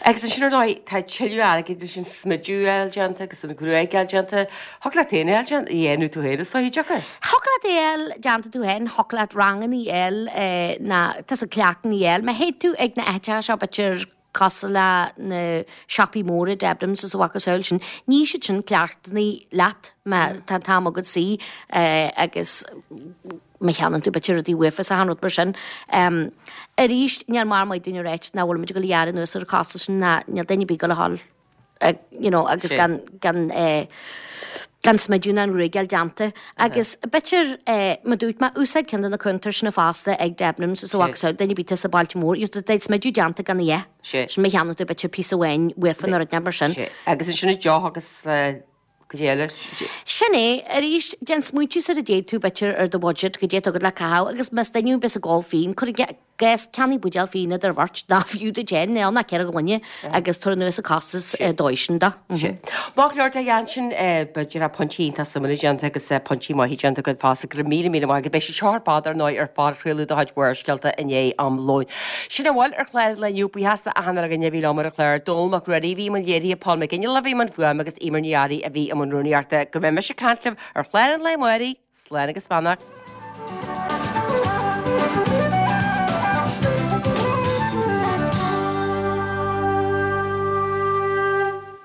Agus ansin ar ndóigh tá tuilleadh airgid leis an smideadh a fháil déanta agus an ghruaig a fháil déanta. Thiocfadh leat féin é a fháil déanta, a dhéanamh tú féin is dóigh, deacair. Thiocfadh leat é a fháil déanta tú féin, thiocfadh leat ranganna a fháil ná tusa cleachtanna a fháil. Má théid tú ag na áiteacha seo b'fhéidir cosúil le na siopaí móra Debenhams is a mhacasamhail sin, ní siad sin cleachtanna leat má tá an t-am agat suí agus má cheannaíonn tú b'fhéidir rudaí uafa is achan rud mar sin. Arís, níl mar maith dúinn a ráit nach bhfuil muid ag dul a ghearradh anuas ar an chostas sin ná níl duine ar bith ag dul a dhul you know agus gan gan eh gan smideadh ná an ghruaig a fháil déanta. Agus b'fhéidir eh mar dúirt mé úsáid ceann de na cuntair sin fosta ag Debenhams is a mhacasamhail duine ar bith atá sa bailte mór you know smideadh déanta gan a dhath. Sin má cheannaíonn tú b'fhéidir píosa amháin uafa nó rud mar sin. Agus ansin an deoch agus eh goidé eile. Sin é, arís, déan smaointiú sar a dtéid tú b'fhéidir ar do bhudget goidé atá agat le caitheamh agus más duine a bheas ag ól fíon, cuir i gcás, ceannaigh buidéal fíon idir bheirt, nó fiú duit féin, níl ach ceithre ghloine agus tabhair anuas an costas dóigh sin de. Maith go leor Diane sin b'fhéidir pointí iontach suimiúla déanta agus pointí maithe déanta agat fosta. Go raibh míle míle maith agat. Beidh siad seo ar fad ar ndóigh ar phodchraoladh de chuid Bharrscéalta i ndiaidh am lóin. Sin a bhfuil ar chlár an lae inniu. Buíochas d'achan uile dhuine a bhí liom ar an chlár. Dónall Mac Ruairí a bhí i mbun léirithe, Paul McGinley a bhí i mbun fuaime agus Eimear Ní Fhearraigh a bhí i mbun rúnaíochta. Go mbeidh mise ag caint libh ar chlár an lae amárach. Slán agus beannacht.